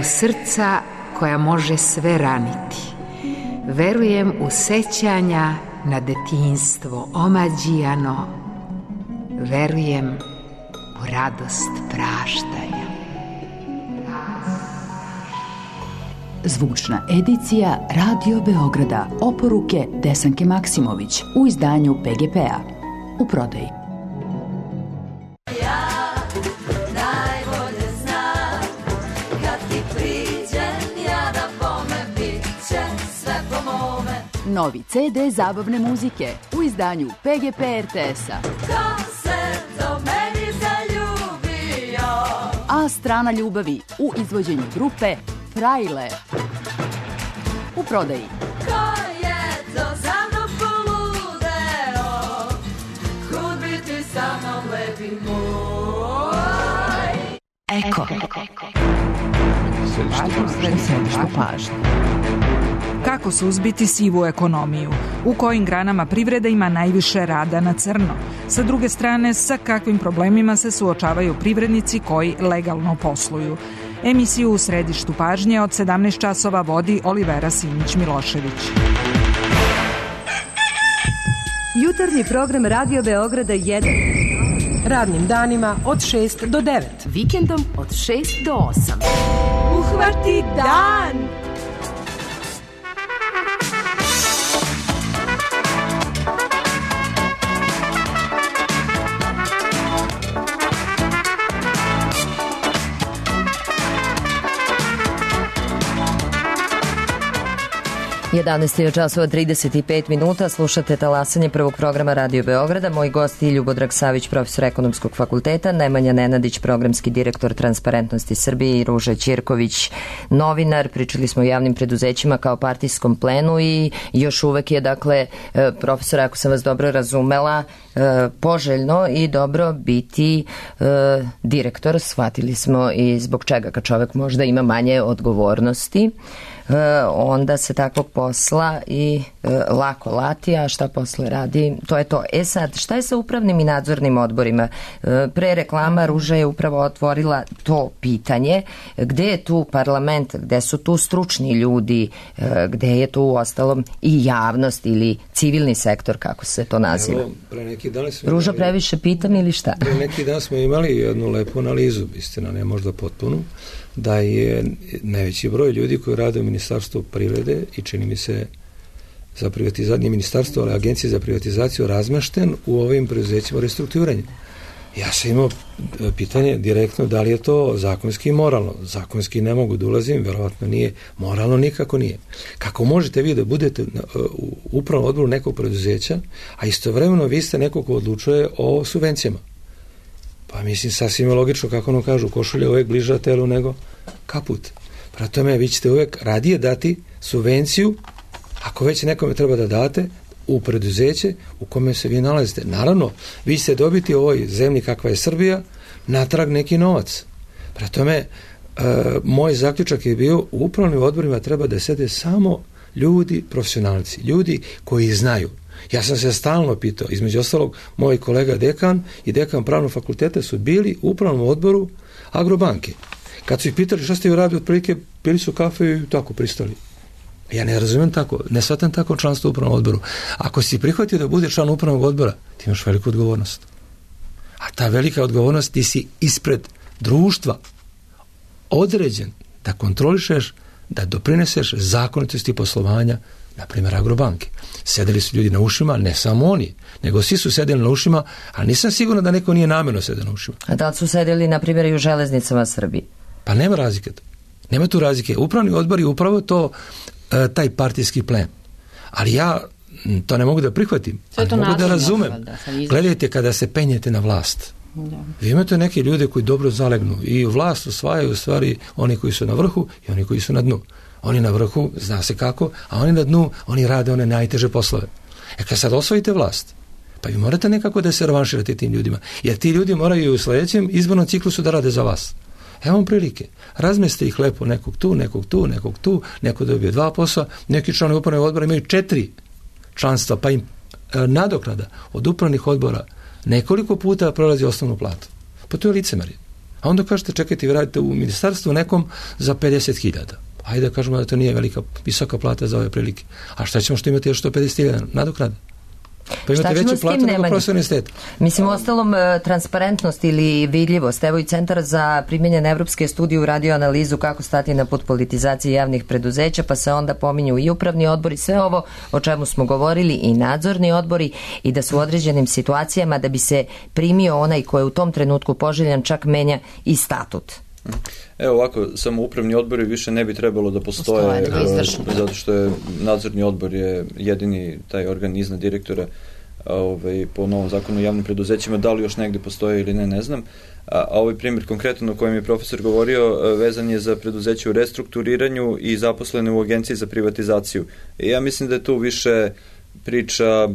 Speaker 8: u srca koja može sve raniti. Verujem u sećanja na detinjstvo omađijano. Verujem u radost praštanja.
Speaker 9: Zvučna edicija Radio Beograda, oporuke Desanke Maksimović u izdanju P G P-a. U prodaji. Novi C D zabavne muzike u izdanju P G P R T S-a.
Speaker 5: Ko se do meni zaljubio?
Speaker 9: A strana ljubavi u izvođenju grupe Frajle. U prodaji.
Speaker 5: Ko je to za mnom poludeo? Kud bi ti sa mnom lepi moj?
Speaker 8: Eko.
Speaker 10: Središte pažnje. Kako suzbiti sivu ekonomiju? U kojim granama privreda ima najviše rada na crno? Sa druge strane, sa kakvim problemima se suočavaju privrednici koji legalno posluju? Emisiju U središtu pažnje od sedamnaest časova vodi Olivera Simić-Milošević.
Speaker 11: Jutarnji program Radio Beograda jedan. Radnim danima od šest do devet.
Speaker 9: Vikendom od šest do osam.
Speaker 11: Uhvati dan!
Speaker 2: jedanaest časova trideset pet minuta, slušate talasanje prvog programa Radio Beograda. Moj gost je Ljubodrag Savić, profesor Ekonomskog fakulteta, Nemanja Nenadić, programski direktor Transparentnosti Srbije i Ruža Ćirković, novinar. Pričali smo o javnim preduzećima kao partijskom plenu i još uvek je, dakle, profesor, ako sam vas dobro razumela, poželjno i dobro biti direktor. Shvatili smo i zbog čega, kad čovek možda ima manje odgovornosti, onda se takvog posla i e, lako lati, a šta posle radi, to je to. E sad, šta je sa upravnim i nadzornim odborima? E, pre reklama Ruža je upravo otvorila to pitanje. Gde je tu parlament, gde su tu stručni ljudi, e, gde je tu u ostalom i javnost ili civilni sektor, kako se to naziva?
Speaker 6: Evo, pre neki dan smo
Speaker 2: Ruža,
Speaker 6: imali,
Speaker 2: previše pitam ili šta?
Speaker 6: Pre neki dan smo imali jednu lepu analizu, istina, ne možda potpunu, da je najveći broj ljudi koji rade u Ministarstvu privrede i čini mi se za privatizaciju, nije ministarstvo, ali Agencija za privatizaciju, razmešten u ovim preduzećima restrukturiranja. Ja sam imao pitanje direktno da li je to zakonski i moralno. Zakonski ne mogu da ulazim, verovatno nije, moralno nikako nije. Kako možete vi da budete u upravnom odboru nekog preduzeća, a istovremeno vi ste neko ko odlučuje o subvencijama? Pa mislim, sasvim je logično, kako ono kažu, košulja uvek bliža telu nego kaput. Prema tome, vi ćete uvek radije dati subvenciju, ako već nekome treba da date, u preduzeće u kome se vi nalazite. Naravno, vi ćete dobiti u ovoj zemlji kakva je Srbija natrag neki novac. Prema tome, e, moj zaključak je bio, u upravnim odborima treba da sede samo ljudi, profesionalci, ljudi koji znaju. Ja sam se stalno pitao, između ostalog, moj kolega dekan i dekan pravnog fakulteta su bili u upravnom odboru Agrobanke. Kad su ih pitali šta ste vi radili, otprilike pili su kafe i tako pristali. Ja ne razumijem tako, ne shvatam tako članstvo u upravnom odboru. Ako si prihvatio da bude član upravnog odbora, ti imaš veliku odgovornost. A ta velika odgovornost, ti si ispred društva određen da kontrolišeš, da doprineseš zakonitosti poslovanja, na primjer Agrobanke. Sedeli su ljudi na ušima, ne samo oni, nego svi su sedeli na ušima, a nisam siguran da neko nije namjerno sedeo na ušima.
Speaker 2: A da li su sedeli, na primjer, i u železnicama Srbije?
Speaker 6: Pa nema razlike. Nema tu razlike. Upravni odbor je upravo to, e, taj partijski plen. Ali ja to ne mogu da prihvatim. Ali mogu da razumem. Da, gledajte, kada se penjete na vlast, da. Vi imate neke ljude koji dobro zalegnu i vlast osvajaju u stvari oni koji su na vrhu i oni koji su na dnu. Oni na vrhu, zna se kako, a oni na dnu, oni rade one najteže poslove. E kad sad osvojite vlast, pa vi morate nekako da se revanširate tim ljudima, jer ti ljudi moraju u sledećem izbornom ciklusu da rade za vas. Evo vam prilike. Razmeste ih lepo, nekog tu, nekog tu, nekog tu, neko dobije dva posla, neki članovi upravnog odbora imaju četiri članstva, pa im e, nadoknada od upravnih odbora nekoliko puta prolazi osnovnu platu. Pa to je licemerje. A onda kažete, čekajte, vi radite u ministarstvu nekom za pedeset hiljada. ajde da kažemo da to nije velika, visoka plata za ove prilike. A šta ćemo što imate još sto pedeset hiljada nadoknada? Pa imate veću platu nego profesor univerziteta.
Speaker 2: Mislim, ostalom, transparentnost ili vidljivost. Evo i Centar za primjenjene evropske studije uradio analizu kako stati na put politizacije javnih preduzeća, pa se onda pominju i upravni odbori, sve ovo o čemu smo govorili, i nadzorni odbori, i da su u određenim situacijama da bi se primio onaj ko je u tom trenutku poželjan, čak menja i statut.
Speaker 7: Evo ovako, samo upravni odbori više ne bi trebalo da postoje, postoje zato što je nadzorni odbor je jedini taj organ iznad direktora, ovaj, po novom zakonu o javnim preduzećima. Da li još negde postoje ili ne, ne znam. A, a ovaj primjer konkretno o kojem je profesor govorio vezan je za preduzeće u restrukturiranju i zaposlene u agenciji za privatizaciju. I ja mislim da je tu više priča,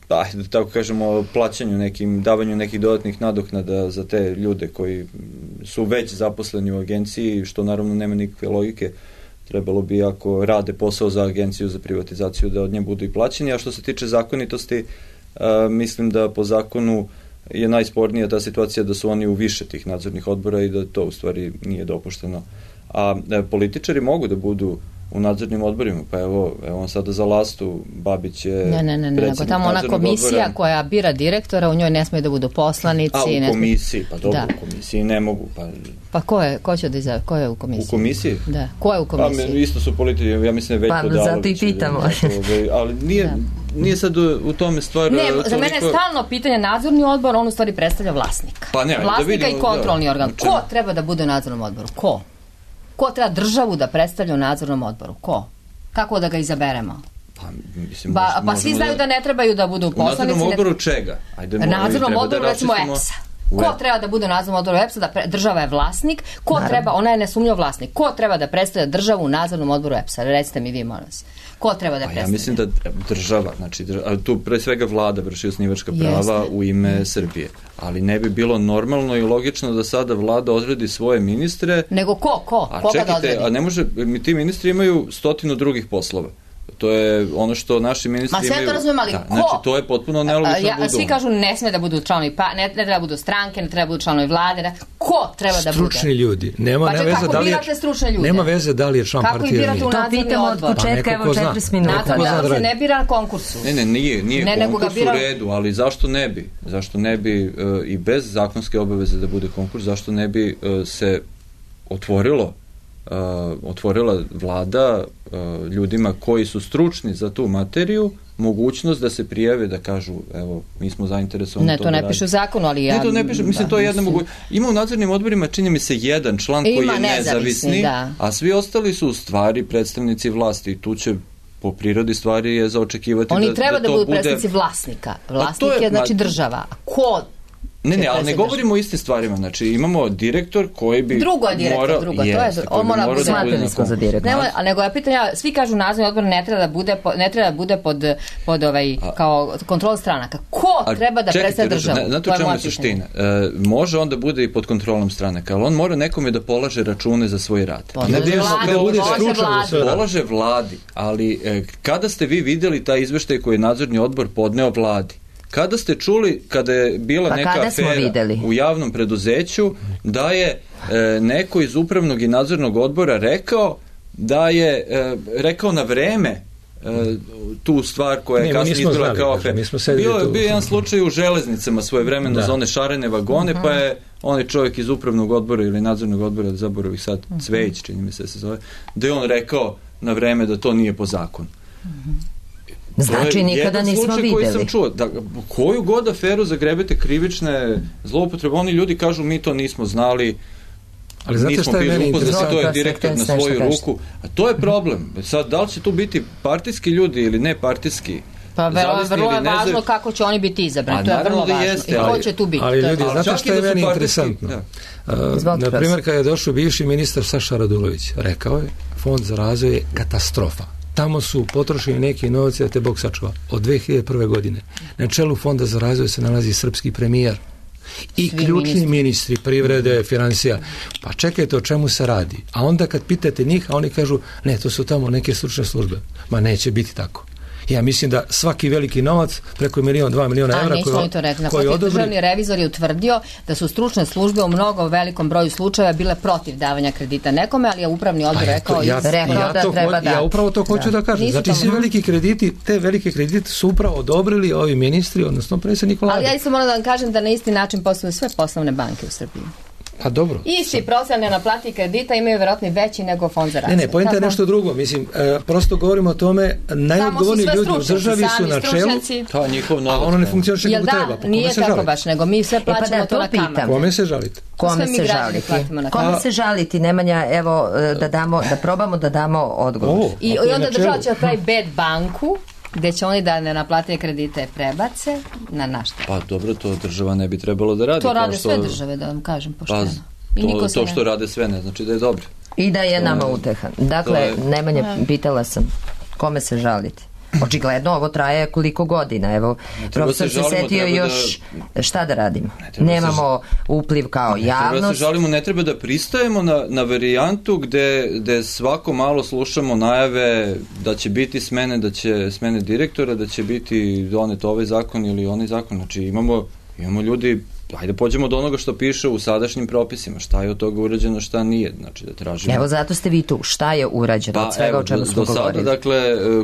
Speaker 7: da tako kažemo, o plaćanju nekim, davanju nekih dodatnih nadoknada za te ljude koji su već zaposleni u agenciji, što naravno nema nikakve logike. Trebalo bi, ako rade posao za agenciju za privatizaciju, da od nje budu i plaćeni. A što se tiče zakonitosti, a, mislim da po zakonu je najspornija ta situacija da su oni u više tih nadzornih odbora i da to u stvari nije dopušteno. A, a političari mogu da budu u nadzornim odborima, pa evo, evo on sada za Lastu, Babić je
Speaker 4: ne, ne, ne, ne, nego tamo ona komisija odbora koja bira direktora, u njoj ne smije da budu poslanici.
Speaker 7: A, u
Speaker 4: ne
Speaker 7: komisiji, pa dobro, da. U komisiji ne mogu. Pa,
Speaker 4: pa ko je, ko će da izave, ko je u komisiji?
Speaker 7: U komisiji?
Speaker 4: Da, ko je u komisiji?
Speaker 7: Pa, isto su politici, ja mislim Veljko Dalović.
Speaker 2: Pa, zato i pitamo.
Speaker 7: Da, ali nije, da. Nije sad u, u tome stvar...
Speaker 4: Ne, toliko... za mene je stalno pitanje nadzorni odbor, on u stvari predstavlja vlasnika.
Speaker 7: Pa ne,
Speaker 4: vlasnika
Speaker 7: da vidimo,
Speaker 4: i kontrolni
Speaker 7: da,
Speaker 4: organ.
Speaker 7: znači...
Speaker 4: Ko treba da bude u nadzornom odboru? Ko? Ko treba državu da predstavlja u nadzornom odboru? Ko? Kako da ga izaberemo?
Speaker 7: Pa, mislim,
Speaker 4: ba, pa svi znaju da... da ne trebaju da budu poslanici.
Speaker 7: U nadzornom odboru čega?
Speaker 4: Ajde, u nadzornom odboru, da recimo, E P S-a. Ko treba da bude u nadzornom odboru E P S-a? Da pre... Država je vlasnik. Ko Naravno. treba, ona je nesumnjiv vlasnik. Ko treba da predstavlja državu u nadzornom odboru E P S-a? Recite mi vi, molim vas. Ko treba da predstavlja?
Speaker 7: Ja mislim da država, znači država, tu pre svega vlada vrši osnivačka prava Jeste. u ime mm. Srbije. Ali ne bi bilo normalno i logično da sada vlada odredi svoje ministre.
Speaker 4: Nego ko? Ko?
Speaker 7: A
Speaker 4: Koga
Speaker 7: čekajte,
Speaker 4: da odredi?
Speaker 7: A ne može, ti ministri imaju stotinu drugih poslova. To je ono što naši ministri imaju.
Speaker 4: Ma sve to razumijem, ali
Speaker 7: da,
Speaker 4: ko?
Speaker 7: Znači, to je potpuno nelogično
Speaker 4: ja,
Speaker 7: budu.
Speaker 4: Svi kažu ne sme da budu članovi, pa, ne, ne treba da budu stranke, ne treba da budu članovi vlade. Ne. Ko treba da bude?
Speaker 6: Stručni ljudi. Nema,
Speaker 4: pa
Speaker 6: nema veze da li je,
Speaker 4: nema
Speaker 6: veze da li je član partije.
Speaker 4: Kako i birate u nadzorni odbor?
Speaker 2: To pitamo od početka, evo četrdeset minuta.
Speaker 4: Nadzorni odbor se ne bira na konkursu.
Speaker 7: Ne, ne, nije, nije
Speaker 4: ne,
Speaker 7: konkurs
Speaker 4: bira...
Speaker 7: u redu, ali zašto ne bi? Zašto ne bi uh, i bez zakonske obaveze da bude konkurs, zašto ne bi uh, se otvorilo Uh, otvorila vlada uh, ljudima koji su stručni za tu materiju mogućnost da se prijave, da kažu evo, mi smo zainteresovani.
Speaker 4: Ne, to, to ne piše u zakonu, ali ja...
Speaker 7: Ne, to ne piše, mislim, da, to je jedna mogućnost. Ima u nadzornim odborima, čini mi se, jedan član koji je nezavisni,
Speaker 4: da.
Speaker 7: A svi ostali su u stvari predstavnici vlasti i tu će po prirodi stvari je za očekivati
Speaker 4: Oni
Speaker 7: da,
Speaker 4: treba
Speaker 7: da,
Speaker 4: da
Speaker 7: to
Speaker 4: budu
Speaker 7: bude...
Speaker 4: predstavnici vlasnika. Vlasnik je, je, znači, država. Ko...
Speaker 7: Ne, ne, ali ne govorimo o istim stvarima. Znači, imamo direktor koji bi...
Speaker 4: Drugo je direktor,
Speaker 7: mora,
Speaker 4: drugo.
Speaker 7: Jest,
Speaker 4: to je, on mora bude...
Speaker 2: Smatili smo za direktor.
Speaker 4: Ne, a nego ja pitam, ja, svi kažu nadzorni odbor ne treba da bude, ne treba da bude pod, pod ovaj, kao kontrol stranaka. Ko a, treba da predstavlja državu?
Speaker 7: Ne, znate u čemu je suština? E, može on da bude i pod kontrolom stranaka, ali on mora nekome da polaže račune za svoj rad.
Speaker 4: Polaže vladi, polaže vladi.
Speaker 7: Polaže vladi, ali e, kada ste vi videli taj izveštaj koji je nadzorni odbor podneo vladi? Kada ste čuli, kada je bila
Speaker 2: pa
Speaker 7: neka afera u javnom preduzeću, da je e, neko iz upravnog i nadzornog odbora rekao da je e, rekao na vreme e, tu stvar koja je kasnije izbila kao afera. Bio je bio jedan slučaj u železnicama svojevremeno da. za one šarene vagone, uh-huh. pa je onaj čovjek iz upravnog odbora ili nadzornog odbora, zaboravih sad, uh-huh. Cvejić, čini mi se se zove, da je on rekao na vreme da to nije po zakonu.
Speaker 4: Uh-huh.
Speaker 2: Znači, nikada nismo videli.
Speaker 7: Koji sam čuo, da, koju god aferu zagrebete krivične zloupotrebe, oni ljudi kažu mi to nismo znali,
Speaker 6: ali znate šta je meni interesantno?
Speaker 7: To je direktor na svoju ruku. A to je problem. Sad, da li će tu biti partijski ljudi ili ne partijski?
Speaker 4: Pa vrlo, vrlo je važno kako će oni biti izabrani. To je vrlo važno. Jeste, I ko će tu biti?
Speaker 6: Ali ljudi, znate šta je meni interesantno? Na primjer, kada je došao bivši ministar Saša Radulović, rekao je, Fond za razvoj je katastrofa. Tamo su potrošeni neki novci da te Bog sačuva. Od dve hiljade prve. godine. Na čelu Fonda za razvoj se nalazi srpski premijer i Svi ključni ministri. ministri privrede, financija. Pa čekajte o čemu se radi. A onda kad pitate njih, a oni kažu, ne, to su tamo neke stručne službe. Ma neće biti tako. Ja mislim da svaki veliki novac, preko milion, dva miliona evra,
Speaker 4: A, nismo
Speaker 6: koji,
Speaker 4: oni to rekli.
Speaker 6: koji
Speaker 4: Naprotiv,
Speaker 6: odobri...
Speaker 4: državni revizor je utvrdio da su stručne službe u mnogo velikom broju slučajeva bile protiv davanja kredita nekome, ali je upravni odbor
Speaker 6: ja
Speaker 4: rekao,
Speaker 6: to, ja,
Speaker 4: rekao
Speaker 6: ja,
Speaker 4: da
Speaker 6: to,
Speaker 4: treba
Speaker 6: ja
Speaker 4: da...
Speaker 6: upravo to hoću da, da kažem.
Speaker 4: Nisu
Speaker 6: Znači,
Speaker 4: to
Speaker 6: svi veliki krediti, te velike kredite su upravo odobrili ovi ministri, odnosno predsjednik vlade.
Speaker 4: Ali ja isto moram da vam kažem da na isti način posluju sve poslovne banke u Srbiji.
Speaker 6: A dobro.
Speaker 4: Isti procent nenaplati kredita imaju verovatno veći nego fond za razvoj.
Speaker 6: Ne, ne, poenta je nešto drugo. Mislim, e, prosto govorimo o tome, najodgovorniji ljudi u državi su na čelu,
Speaker 7: to njihov novac,
Speaker 6: a ono ne funkcioniše kako
Speaker 4: da,
Speaker 6: treba. Pa
Speaker 4: nije
Speaker 6: se
Speaker 4: tako
Speaker 6: žalite?
Speaker 4: baš, nego mi sve plaćamo
Speaker 2: e pa da,
Speaker 4: to, to na kamatu.
Speaker 6: Kome se žalite?
Speaker 2: Kome se žaliti? Kome se žaliti, Nemanja, evo, da, damo, da probamo da damo odgovor.
Speaker 6: Ovo,
Speaker 4: I, i onda država će pravi bed banku, gde će oni da ne naplate kredite prebace na našta.
Speaker 7: Pa dobro, to država ne bi trebalo da radi.
Speaker 4: To rade
Speaker 7: što...
Speaker 4: sve države, da vam kažem pošteno.
Speaker 7: Pa,
Speaker 4: I
Speaker 7: to, to
Speaker 4: ne...
Speaker 7: što rade sve ne znači da je dobro.
Speaker 2: I da je nama uteha. Dakle,
Speaker 7: je...
Speaker 2: Nemanja, pitala sam kome se žaliti. Očigledno ovo traje koliko godina. Evo, profesor se, se setio još da... šta da radimo. Ne Nemamo se... upliv kao
Speaker 7: ne
Speaker 2: javnost.
Speaker 7: Treba da se žalimo, ne treba da pristajemo na, na varijantu gde, gde svako malo slušamo najave da će biti smene, da će smene direktora, da će biti donet ovaj zakon ili onaj zakon. Znači imamo, imamo ljudi, hajde pođemo do onoga što piše u sadašnjim propisima, šta je od toga urađeno, šta nije, znači da tražimo.
Speaker 2: Evo zato ste vi tu, šta je urađeno
Speaker 7: pa,
Speaker 2: od svega
Speaker 7: evo,
Speaker 2: o čemu smo govorili?
Speaker 7: Do sada, dakle,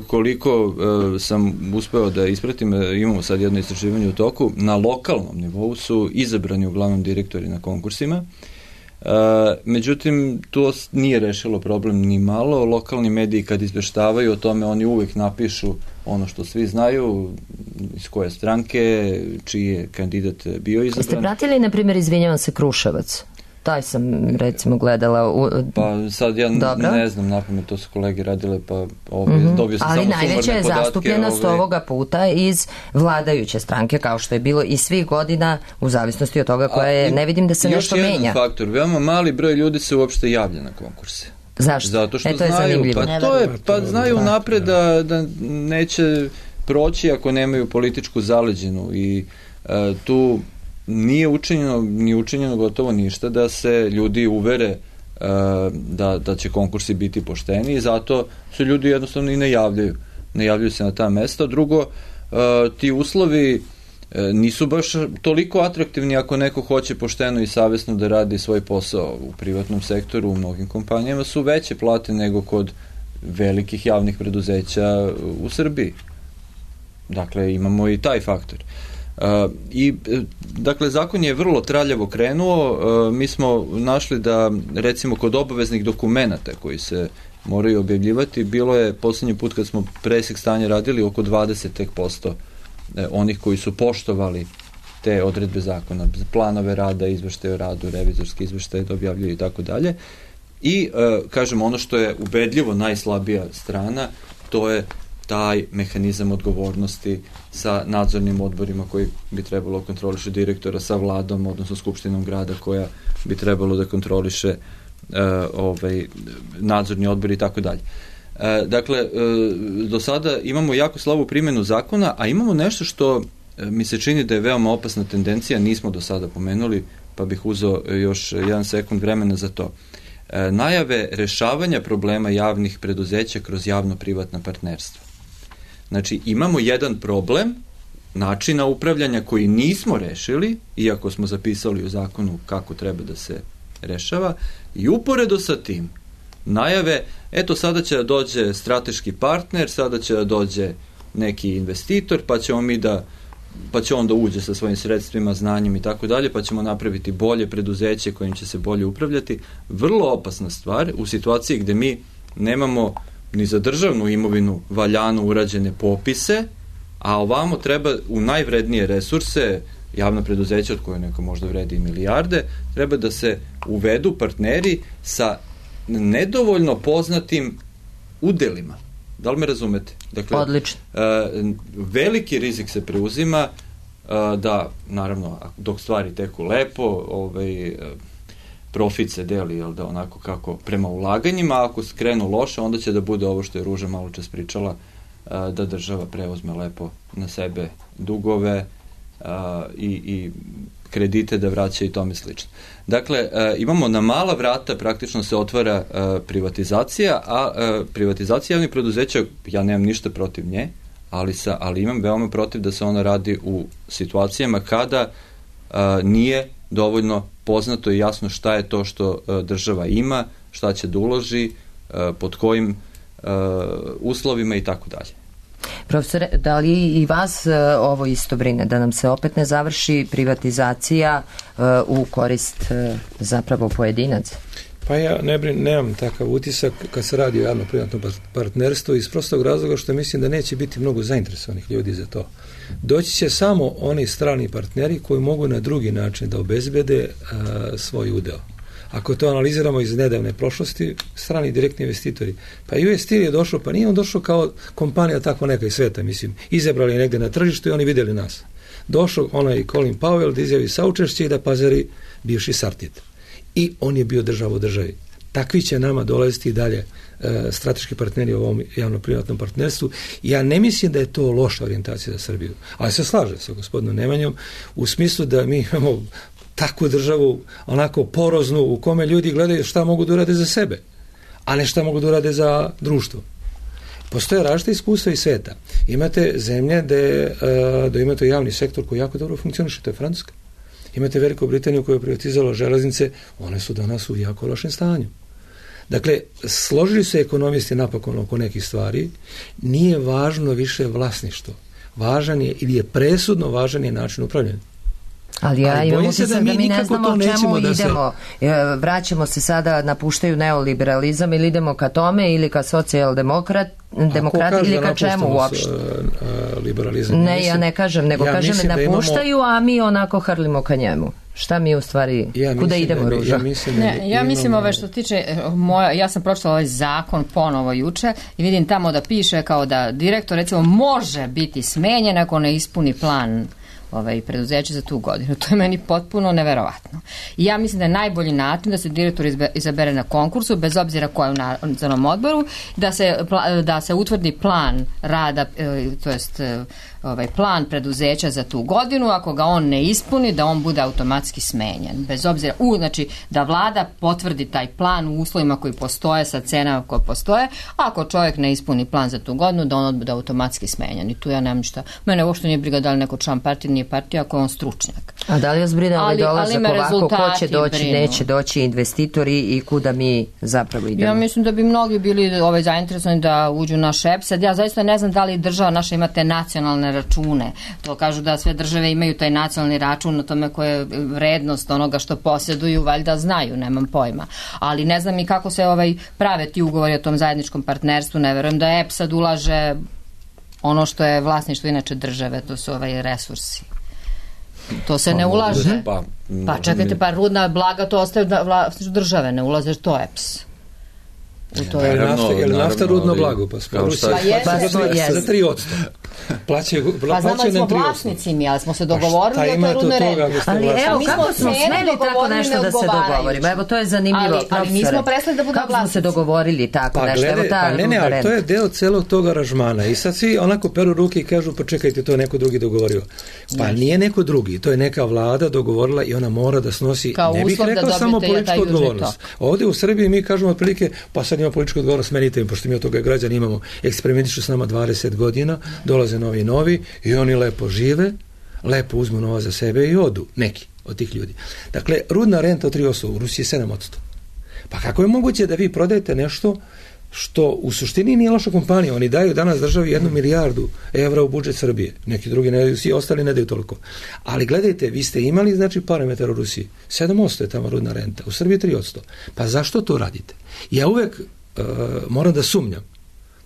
Speaker 7: koliko uh, sam uspeo da ispratim, imamo sad jedno istraživanje u toku, na lokalnom nivou su izabrani uglavnom direktori na konkursima. Uh, međutim, to nije rešilo problem ni malo. Lokalni mediji kad izveštavaju o tome, oni uvek napišu ono što svi znaju, iz koje stranke, čiji je kandidat bio izabran.
Speaker 2: Jeste pratili, na primjer, izvinjavam se, Kruševac? Taj sam, recimo, gledala. U...
Speaker 7: Pa sad ja Dobro. ne znam, napamet, to su kolege radile, pa ove, mm-hmm. dobio sam
Speaker 2: Ali
Speaker 7: samo sumarne podatke.
Speaker 2: Ali najveća je zastupljenost
Speaker 7: ove...
Speaker 2: ovoga puta iz vladajuće stranke, kao što je bilo i svih godina, u zavisnosti od toga koja je, ne vidim da se nešto menja.
Speaker 7: Još jedan faktor, veoma mali broj ljudi se uopšte javlja na konkurse.
Speaker 2: Zašto?
Speaker 7: Zato što
Speaker 2: e, to je
Speaker 7: znaju,
Speaker 2: zanimljivo.
Speaker 7: pa to je, pa znaju napred da, da neće proći ako nemaju političku zaleđenu i uh, tu nije učinjeno, nije učinjeno gotovo ništa da se ljudi uvere uh, da, da će konkursi biti pošteni i zato su ljudi jednostavno i ne javljaju. Ne javljaju se na ta mesta. Drugo, uh, ti uslovi uh, nisu baš toliko atraktivni ako neko hoće pošteno i savesno da radi svoj posao u privatnom sektoru, u mnogim kompanijama su veće plate nego kod velikih javnih preduzeća u Srbiji. Dakle, imamo i taj faktor. Uh, I, dakle, zakon je vrlo traljavo krenuo. Uh, mi smo našli da, recimo, kod obaveznih dokumenata koji se moraju objavljivati, bilo je poslednji put kad smo presek stanja radili oko dvadeset posto onih koji su poštovali te odredbe zakona, planove rada, izveštaje o radu, revizorski izveštaje da objavljuju i tako dalje. I, uh, kažem, ono što je ubedljivo najslabija strana, to je taj mehanizam odgovornosti sa nadzornim odborima koji bi trebalo kontroliše direktora, sa vladom, odnosno skupštinom grada koja bi trebalo da kontroliše uh, ovaj, nadzorni odbor i tako dalje. Uh, dakle, uh, do sada imamo jako slabu primjenu zakona, a imamo nešto što uh, mi se čini da je veoma opasna tendencija, nismo do sada pomenuli, pa bih uzeo još jedan sekund vremena za to. Uh, najave rešavanja problema javnih preduzeća kroz javno-privatna partnerstva. Znači, imamo jedan problem načina upravljanja koji nismo rešili, iako smo zapisali u zakonu kako treba da se rešava, i uporedo sa tim najave, eto sada će da dođe strateški partner, sada će da dođe neki investitor, pa ćemo mi da pa će on da uđe sa svojim sredstvima, znanjem i tako dalje, pa ćemo napraviti bolje preduzeće kojim će se bolje upravljati. Vrlo opasna stvar u situaciji gde mi nemamo ni za državnu imovinu valjano urađene popise, a ovamo treba u najvrednije resurse, javna preduzeća od koje neko možda vredi i milijarde, treba da se uvedu partneri sa nedovoljno poznatim udelima. Da li me razumete? Dakle,
Speaker 2: odlično.
Speaker 7: Uh, veliki rizik se preuzima uh, da, naravno, dok stvari teku lepo, ovaj, uh, profit se deli, jel da, onako kako prema ulaganjima, a ako skrenu loše, onda će da bude ovo što je Ruža malo čas pričala, uh, da država preuzme lepo na sebe dugove uh, i, i kredite da vraća i tome slično. Dakle, e, imamo na mala vrata praktično se otvara e, privatizacija, a e, privatizacija javnih preduzeća, ja nemam ništa protiv nje, ali, sa, ali imam veoma protiv da se ona radi u situacijama kada a, nije dovoljno poznato i jasno šta je to što a, država ima, šta će da uloži, a, pod kojim a, uslovima i tako dalje.
Speaker 2: Profesore, da li i vas uh, ovo isto brine, da nam se opet ne završi privatizacija uh, u korist uh, zapravo pojedinaca?
Speaker 6: Pa ja ne brin, nemam takav utisak kad se radi o javno-privatnom partnerstvu iz prostog razloga što mislim da neće biti mnogo zainteresovanih ljudi za to. Doći će samo oni strani partneri koji mogu na drugi način da obezbede uh, svoj udeo. Ako to analiziramo iz nedavne prošlosti, strani direktni investitori. Pa U S Steel je došao, pa nije on došao kao kompanija tako neka iz sveta, mislim. Izabrali negde na tržištu i oni vidjeli nas. Došao onaj Colin Powell da izjavi saučešće i da pazari bivši Sartid. I on je bio država u državi. Takvi će nama dolaziti i dalje e, strateški partneri u ovom javno-privatnom partnerstvu. Ja ne mislim da je to loša orijentacija za Srbiju. Ali se slažem sa gospodinom Nemanjom u smislu da mi imamo takvu državu, onako poroznu, u kome ljudi gledaju šta mogu da urade za sebe, a ne šta mogu da urade za društvo. Postoje različite iskustva iz sveta. Imate zemlje gde, da imate javni sektor koji jako dobro funkcioniše, to je Francuska. Imate Veliku Britaniju koja je privatizala železnice, one su danas u jako lošem stanju. Dakle, složili se ekonomisti napokon oko nekih stvari, nije važno više vlasništvo. Važan je, ili je presudno važan je način upravljanja.
Speaker 2: Ali ja
Speaker 6: Ali
Speaker 2: imam
Speaker 6: utisak
Speaker 2: da mi, da mi ne znamo o čemu
Speaker 6: da
Speaker 2: idemo. Se... Vraćamo se sada, napuštaju neoliberalizam ili idemo ka tome ili ka socijaldemokrat demokrati ili ka čemu uopšte?
Speaker 6: Liberalizam.
Speaker 2: Ne, ja ne kažem, nego
Speaker 6: ja
Speaker 2: kažem ne napuštaju, imamo... a mi onako hrlimo ka njemu. Šta mi u stvari,
Speaker 6: ja
Speaker 2: kuda idemo,
Speaker 6: da,
Speaker 2: Ruža?
Speaker 6: Ja mislim, da
Speaker 4: ne, ja mislim
Speaker 6: imamo...
Speaker 4: ove što tiče, moja, ja sam pročitala ovaj zakon ponovo juče i vidim tamo da piše kao da direktor recimo može biti smenjen ako ne ispuni plan ovaj, preduzeće za tu godinu. To je meni potpuno neverovatno. I ja mislim da je najbolji način da se direktor izabere na konkursu, bez obzira ko je u nadzornom odboru, da se, da se utvrdi plan rada, to jest ovaj plan preduzeća za tu godinu, ako ga on ne ispuni, da on bude automatski smenjen. Bez obzira, u, znači da vlada potvrdi taj plan u uslovima koji postoje, sa cenama koje postoje, a ako čovjek ne ispuni plan za tu godinu, da on bude automatski smenjen. I tu ja nemam šta. Mene uopšte nije briga da li neko član partije, nije partija, ako je on stručnjak.
Speaker 2: A da li vas brine ali dolazak ovako, ko će doći,
Speaker 4: brinu.
Speaker 2: Neće doći investitori i kuda mi zapravo idemo?
Speaker 4: Ja mislim da bi mnogi bili ovaj, zainteresovani da uđu na šep. Sad ja zaista ne znam da li država naša ima te nacionalne račune. To kažu da sve države imaju taj nacionalni račun na tome koja je vrednost onoga što posjeduju, valjda znaju, nemam pojma. Ali ne znam i kako se ovaj prave ti ugovori o tom zajedničkom partnerstvu. Ne verujem da E P sad ulaže ono što je vlasništvo inače države, to su ovaj resursi. To se pa, ne ulaže. Pa, pa čekajte, pa rudna blaga to ostaje da vlasništvo države, ne ulaze to E P S.
Speaker 6: To je nafta, je nafta rudno blago, pa smo za tri odsto. Plaćaju,
Speaker 4: pa znamo da smo vlasnici mi, ali smo se dogovorili o toj rudnoj renti.
Speaker 2: Ali evo, kako smo smeli tako nešto da se dogovorimo? Evo, to je zanimljivo,
Speaker 4: ali, ali mi smo prestali da budemo vlasnici.
Speaker 2: Kako smo se dogovorili tako
Speaker 6: pa,
Speaker 2: nešto?
Speaker 6: Glede,
Speaker 2: evo ta
Speaker 6: pa ne, ne, ali to je deo celog tog aranžmana. I sad svi onako peru ruke i kažu, pa čekajte, to je neko drugi dogovorio. Pa ne. Nije neko drugi, to je neka vlada dogovorila i ona mora da snosi,
Speaker 4: kao
Speaker 6: ne bih rekao samo političku odgovornost. Ovde u Srbiji mi kažemo otprilike, pa sad ima političku odgovornost, smenite mi, pošto mi od toga građani imamo, eksperimentišu s nama dvadeset godina, dolaze novi novi i oni lepo žive, lepo uzmu novac za sebe i odu, neki od tih ljudi. Dakle, rudna renta od tri odsto, u Rusiji sedam odsto. Pa kako je moguće da vi prodajete nešto što u suštini nije loša kompanija? Oni daju danas državi jednu milijardu evra u budžet Srbije. Neki drugi ne daju, svi ostali ne daju toliko. Ali gledajte, vi ste imali znači parametar u Rusiji. sedam odsto je tamo rudna renta, u Srbiji tri odsto. Pa zašto to radite? Ja uvek uh, moram da sumnjam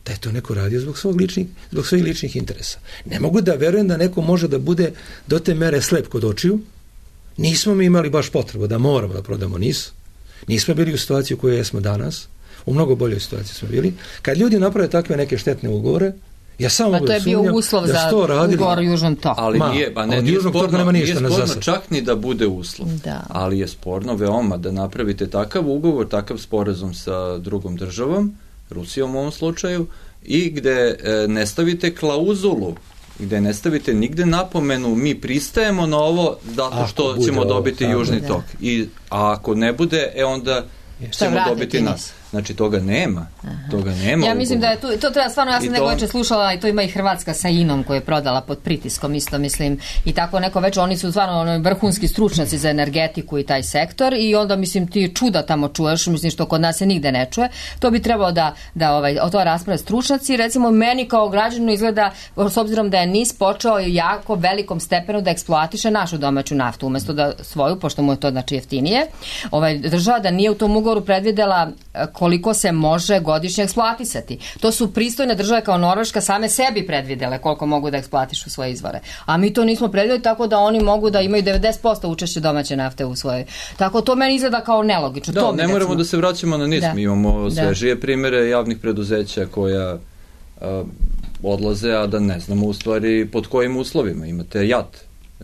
Speaker 6: da je to neko radio zbog svog ličnih, zbog svojih ličnih interesa. Ne mogu da verujem da neko može da bude do te mere slep kod očiju. Nismo mi imali baš potrebu da moramo da prodamo N I S. Nismo bili u situaciji u kojoj jesmo danas. U mnogo boljoj situaciji smo bili. Kad ljudi naprave takve neke štetne ugovore, ja samo mogu da sumnjam da su to radili. Pa to je bio uslov za ugovor
Speaker 4: Južnom toku.
Speaker 7: Ali nije, pa ne, nije sporno, nije sporno čak ni da bude uslov. Da. Ali je sporno veoma da napravite takav ugovor, takav sporazum sa drugom državom, Rusijom u ovom slučaju, i gde e, ne stavite klauzulu, gde ne stavite nigde napomenu mi pristajemo na ovo zato što ako ćemo dobiti ovo, Južni da. tok. I, a ako ne bude, e onda ćemo dobiti nas. Znači, toga nema. Aha. Toga nema.
Speaker 4: Ja mislim
Speaker 7: ugovor.
Speaker 4: da je tu, to treba stvarno, ja sam
Speaker 7: I
Speaker 4: neko
Speaker 7: to...
Speaker 4: veče slušala i to ima i Hrvatska sa Inom koju je prodala pod pritiskom, isto mislim, i tako neko već, oni su stvarno ono, vrhunski stručnjaci za energetiku i taj sektor i onda, mislim, ti čuda tamo čuješ, mislim, što kod nas se nigde ne čuje, to bi trebalo da, da ovaj, o to rasprave stručnjaci. Recimo, meni kao građaninu izgleda, s obzirom da je N I S počeo jako velikom stepenu da eksploatiše našu domaću naftu, umesto da svoju, pošto mu je to znači jeftinije, ovaj, država da nije u tom ugovoru predvidela koliko se može godišnje eksploatisati. To su pristojne države kao Norveška same sebi predvidele koliko mogu da eksploatišu svoje izvore. A mi to nismo predvideli, tako da oni mogu da imaju devedeset posto učešće domaće nafte u svojoj. Tako to meni izgleda kao nelogično.
Speaker 7: Da,
Speaker 4: to
Speaker 7: ne moramo recimo... da se vraćamo na N I S.
Speaker 4: Da.
Speaker 7: Mi imamo svežije primere javnih preduzeća koja a, odlaze, a da ne znamo u stvari pod kojim uslovima. Imate J A T,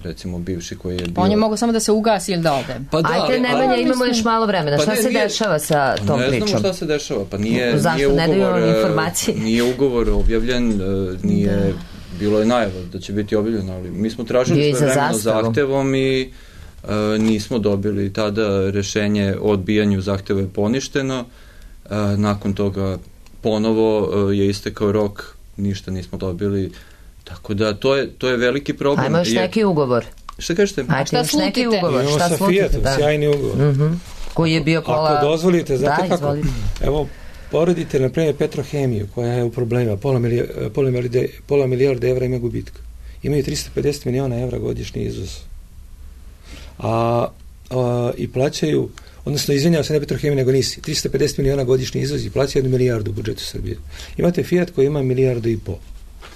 Speaker 7: recimo bivši koji je bio...
Speaker 4: On je mogu samo da se ugasi ili da ode.
Speaker 2: Pa da, Ajde, Nemanja, imamo mislim... još malo vremena.
Speaker 7: Pa
Speaker 2: šta
Speaker 7: ne,
Speaker 2: se
Speaker 7: nije...
Speaker 2: dešava sa tom
Speaker 7: ne
Speaker 2: pričom?
Speaker 7: Ne znamo šta se dešava. Pa nije,
Speaker 2: Zašto
Speaker 7: nije
Speaker 2: ne
Speaker 7: ugovor,
Speaker 2: daju informacije?
Speaker 7: Nije ugovor objavljen, nije... Da. Bilo je najava da će biti objavljeno, ali mi smo tražili sve vremeno zahtevom i uh, nismo dobili tada rešenje o odbijanju zahteva je poništeno. Uh, nakon toga ponovo uh, je istekao rok, ništa nismo dobili. Tako da to je, to je veliki problem.
Speaker 2: Ajmo još neki ugovor.
Speaker 7: Šta kažete?
Speaker 2: Ajde, šta još neki ugovor.
Speaker 6: Imamo sa Fiatom, da. Sjajni ugovor.
Speaker 2: Uh-huh. Koji je bio pola...
Speaker 6: Ako dozvolite, znate
Speaker 2: da,
Speaker 6: kako?
Speaker 2: Izvolite.
Speaker 6: Evo, poredite, na primjer, Petrohemiju, koja je u problemima, pola, milija, pola, milijarde, pola milijarde evra ima gubitka. Imaju tristo pedeset miliona evra godišnji izvoz. A, a, i plaćaju, odnosno izvinjava se ne Petrohemija, nego nisi, tristo pedeset miliona godišnji izvoz i plaća jednu milijardu u budžetu Srbije. Imate Fiat koji ima milijardu i po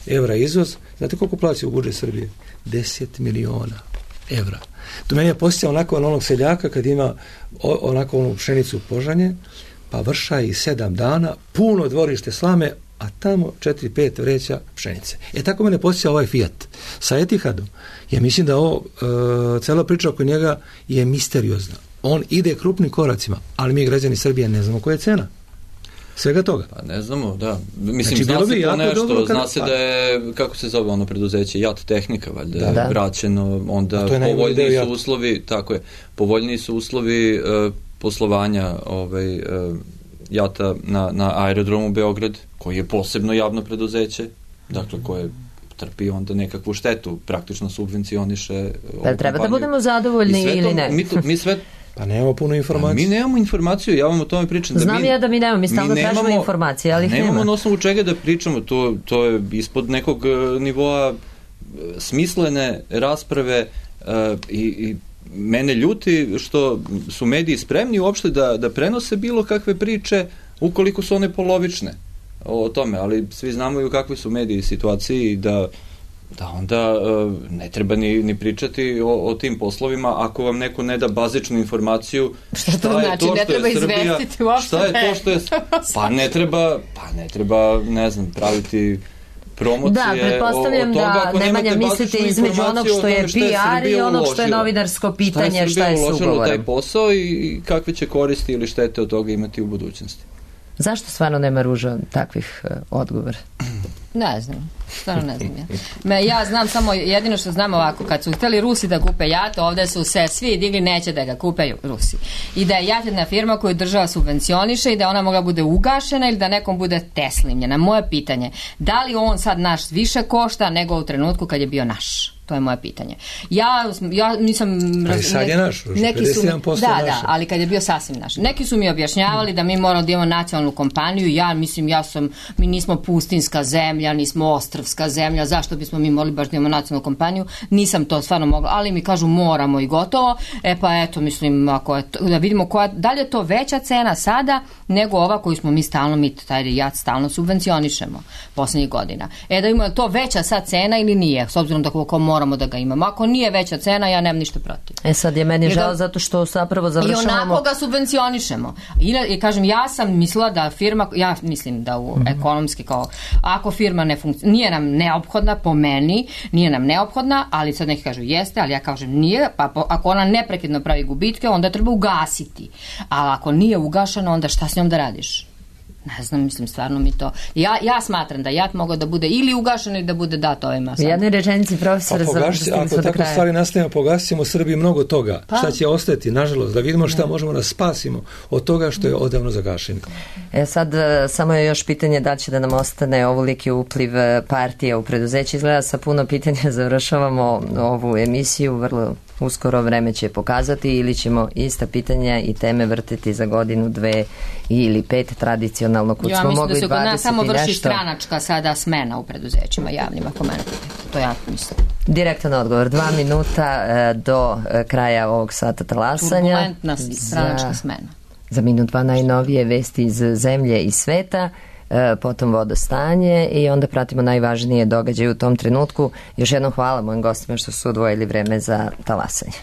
Speaker 6: evra izvoz. Znate koliko plaća u budžet Srbije? deset miliona evra. To meni je posjećao onako na onog seljaka kad ima o, onako onu pšenicu požanje, pa vrša i sedam dana, puno dvorište slame, a tamo četiri pet vreća pšenice. E tako mene posjeća ovaj Fiat. Sa Etihadom, ja mislim da ovo, e, cela priča oko njega je misteriozna. On ide krupnim koracima, ali mi građani Srbije ne znamo koja je cena svega toga.
Speaker 7: Pa ne znamo, da. Mislim,
Speaker 6: znači,
Speaker 7: zna se to nešto,
Speaker 6: dobro,
Speaker 7: zna se da je, kako se zove ono preduzeće, J A T Tehnika, valjda da, da. vraćeno, onda povoljniji su uslovi, tako je, povoljniji su uslovi uh, poslovanja ovaj, uh, J A T-a na, na aerodromu Beograd, koji je posebno javno preduzeće, dakle koje trpi onda nekakvu štetu, praktično subvencioniše.
Speaker 2: Pa treba da budemo zadovoljni ili
Speaker 7: to,
Speaker 2: ne?
Speaker 7: Mi, to, mi sve
Speaker 6: Pa nemamo puno informacije.
Speaker 7: Mi nemamo informaciju, ja vam o tome pričam.
Speaker 2: Znam
Speaker 7: da mi,
Speaker 2: ja da mi nemamo, mi stalno tražimo informacije, ali ih nema.
Speaker 7: Nemamo na osnovu čega da pričamo, to, to je ispod nekog nivoa smislene rasprave uh, i, i mene ljuti što su mediji spremni uopšte da, da prenose bilo kakve priče ukoliko su one polovične o, o tome, ali svi znamo i u kakvoj su mediji situaciji da da onda uh, ne treba ni, ni pričati o, o tim poslovima ako vam neko ne da bazičnu informaciju
Speaker 4: šta, šta to je znači, to što je Srbija,
Speaker 7: šta je to što je pa ne treba, pa ne treba ne znam, praviti promocije
Speaker 2: da, pretpostavljam
Speaker 7: o, o toga,
Speaker 2: da Nemanja mislite između onog što je P R i onog što je novinarsko pitanje šta je s ugovorem.
Speaker 7: Taj posao i kakve će koristi ili štete od toga imati u budućnosti.
Speaker 2: Zašto stvarno nema Ruža takvih uh, odgovora?
Speaker 4: Ne znam, stvarno ne znam ja. Me, ja znam samo, jedino što znam ovako, kad su hteli Rusi da kupe J A T, ovde su se svi digli, neće da ga kupe Rusi. I da je J A T jedna firma koju država subvencioniše i da ona mogla bude ugašena ili da nekom bude teslimljena. Moje pitanje, da li on sad naš više košta nego u trenutku kad je bio naš? To je moje pitanje. Ja, ja nisam...
Speaker 6: Ali sad je naš, pedeset jedan posto
Speaker 4: da,
Speaker 6: naše.
Speaker 4: Da, ali kad je bio sasvim naš. Neki su mi objašnjavali da mi moramo da imamo nacionalnu kompaniju. Ja mislim, ja sam, mi nismo pustinska zemlja, nismo ostrvska zemlja, zašto bismo mi morali baš da imamo nacionalnu kompaniju? Nisam to stvarno mogla, ali mi kažu moramo i gotovo. E pa eto, mislim, ako je to, da vidimo koja, da li je to veća cena sada nego ova koju smo mi stalno, mi taj J A T stalno subvencionišemo poslednjih godina. E da imamo to veća sad cena ili nije, s obzirom da koliko moramo da ga imamo. Ako nije veća cena, ja nemam ništa protiv.
Speaker 2: E sad je meni žao zato što zapravo završavamo...
Speaker 4: I onako ga subvencionišemo. I, i kažem, ja sam mislila da firma, ja mislim da u ekonomski kao, ako firma ne funkcionira, nije nam neophodna po meni, nije nam neophodna, ali sad neki kažu jeste, ali ja kažem nije, pa po, ako ona neprekidno pravi gubitke, onda treba ugasiti. A ako nije ugašena, onda šta s njom da radiš? Ne znam, mislim, stvarno mi to... Ja, ja smatram da JAT mogao da bude ili ugašen ili da bude dat ovima.
Speaker 2: U jednoj rečenici profesora
Speaker 6: pa pogaši,
Speaker 2: za
Speaker 6: ako tako
Speaker 2: kraja.
Speaker 6: stvari nastavimo, pogasimo u Srbiji mnogo toga.
Speaker 2: Pa.
Speaker 6: Šta će ostati, nažalost, da vidimo šta možemo da spasimo od toga što je odavno zagašeno.
Speaker 2: E sad, samo je još pitanje da će da nam ostane ovoliki upliv partija u preduzeće. Izgleda sa puno pitanja završavamo ovu emisiju, vrlo uskoro vreme će pokazati ili ćemo ista pitanja i teme vrtiti za godinu, dve ili pet tradicionalno kud
Speaker 4: ja,
Speaker 2: smo mogli
Speaker 4: dvadeset i nešto. Ja mislim da se kod nas samo vrši
Speaker 2: nešto.
Speaker 4: stranačka sada smena u preduzećima javnim, ako mene pitate. To ja mislim.
Speaker 2: Direktan odgovor, dva minuta e, do e, kraja ovog sata talasanja.
Speaker 4: Turbulentna stranačka za, smena.
Speaker 2: Za minut dva najnovije vesti iz zemlje i sveta, e, potom vodostanje i onda pratimo najvažnije događaje u tom trenutku. Još jednom hvala mojim gostima što su odvojili vreme za talasanje.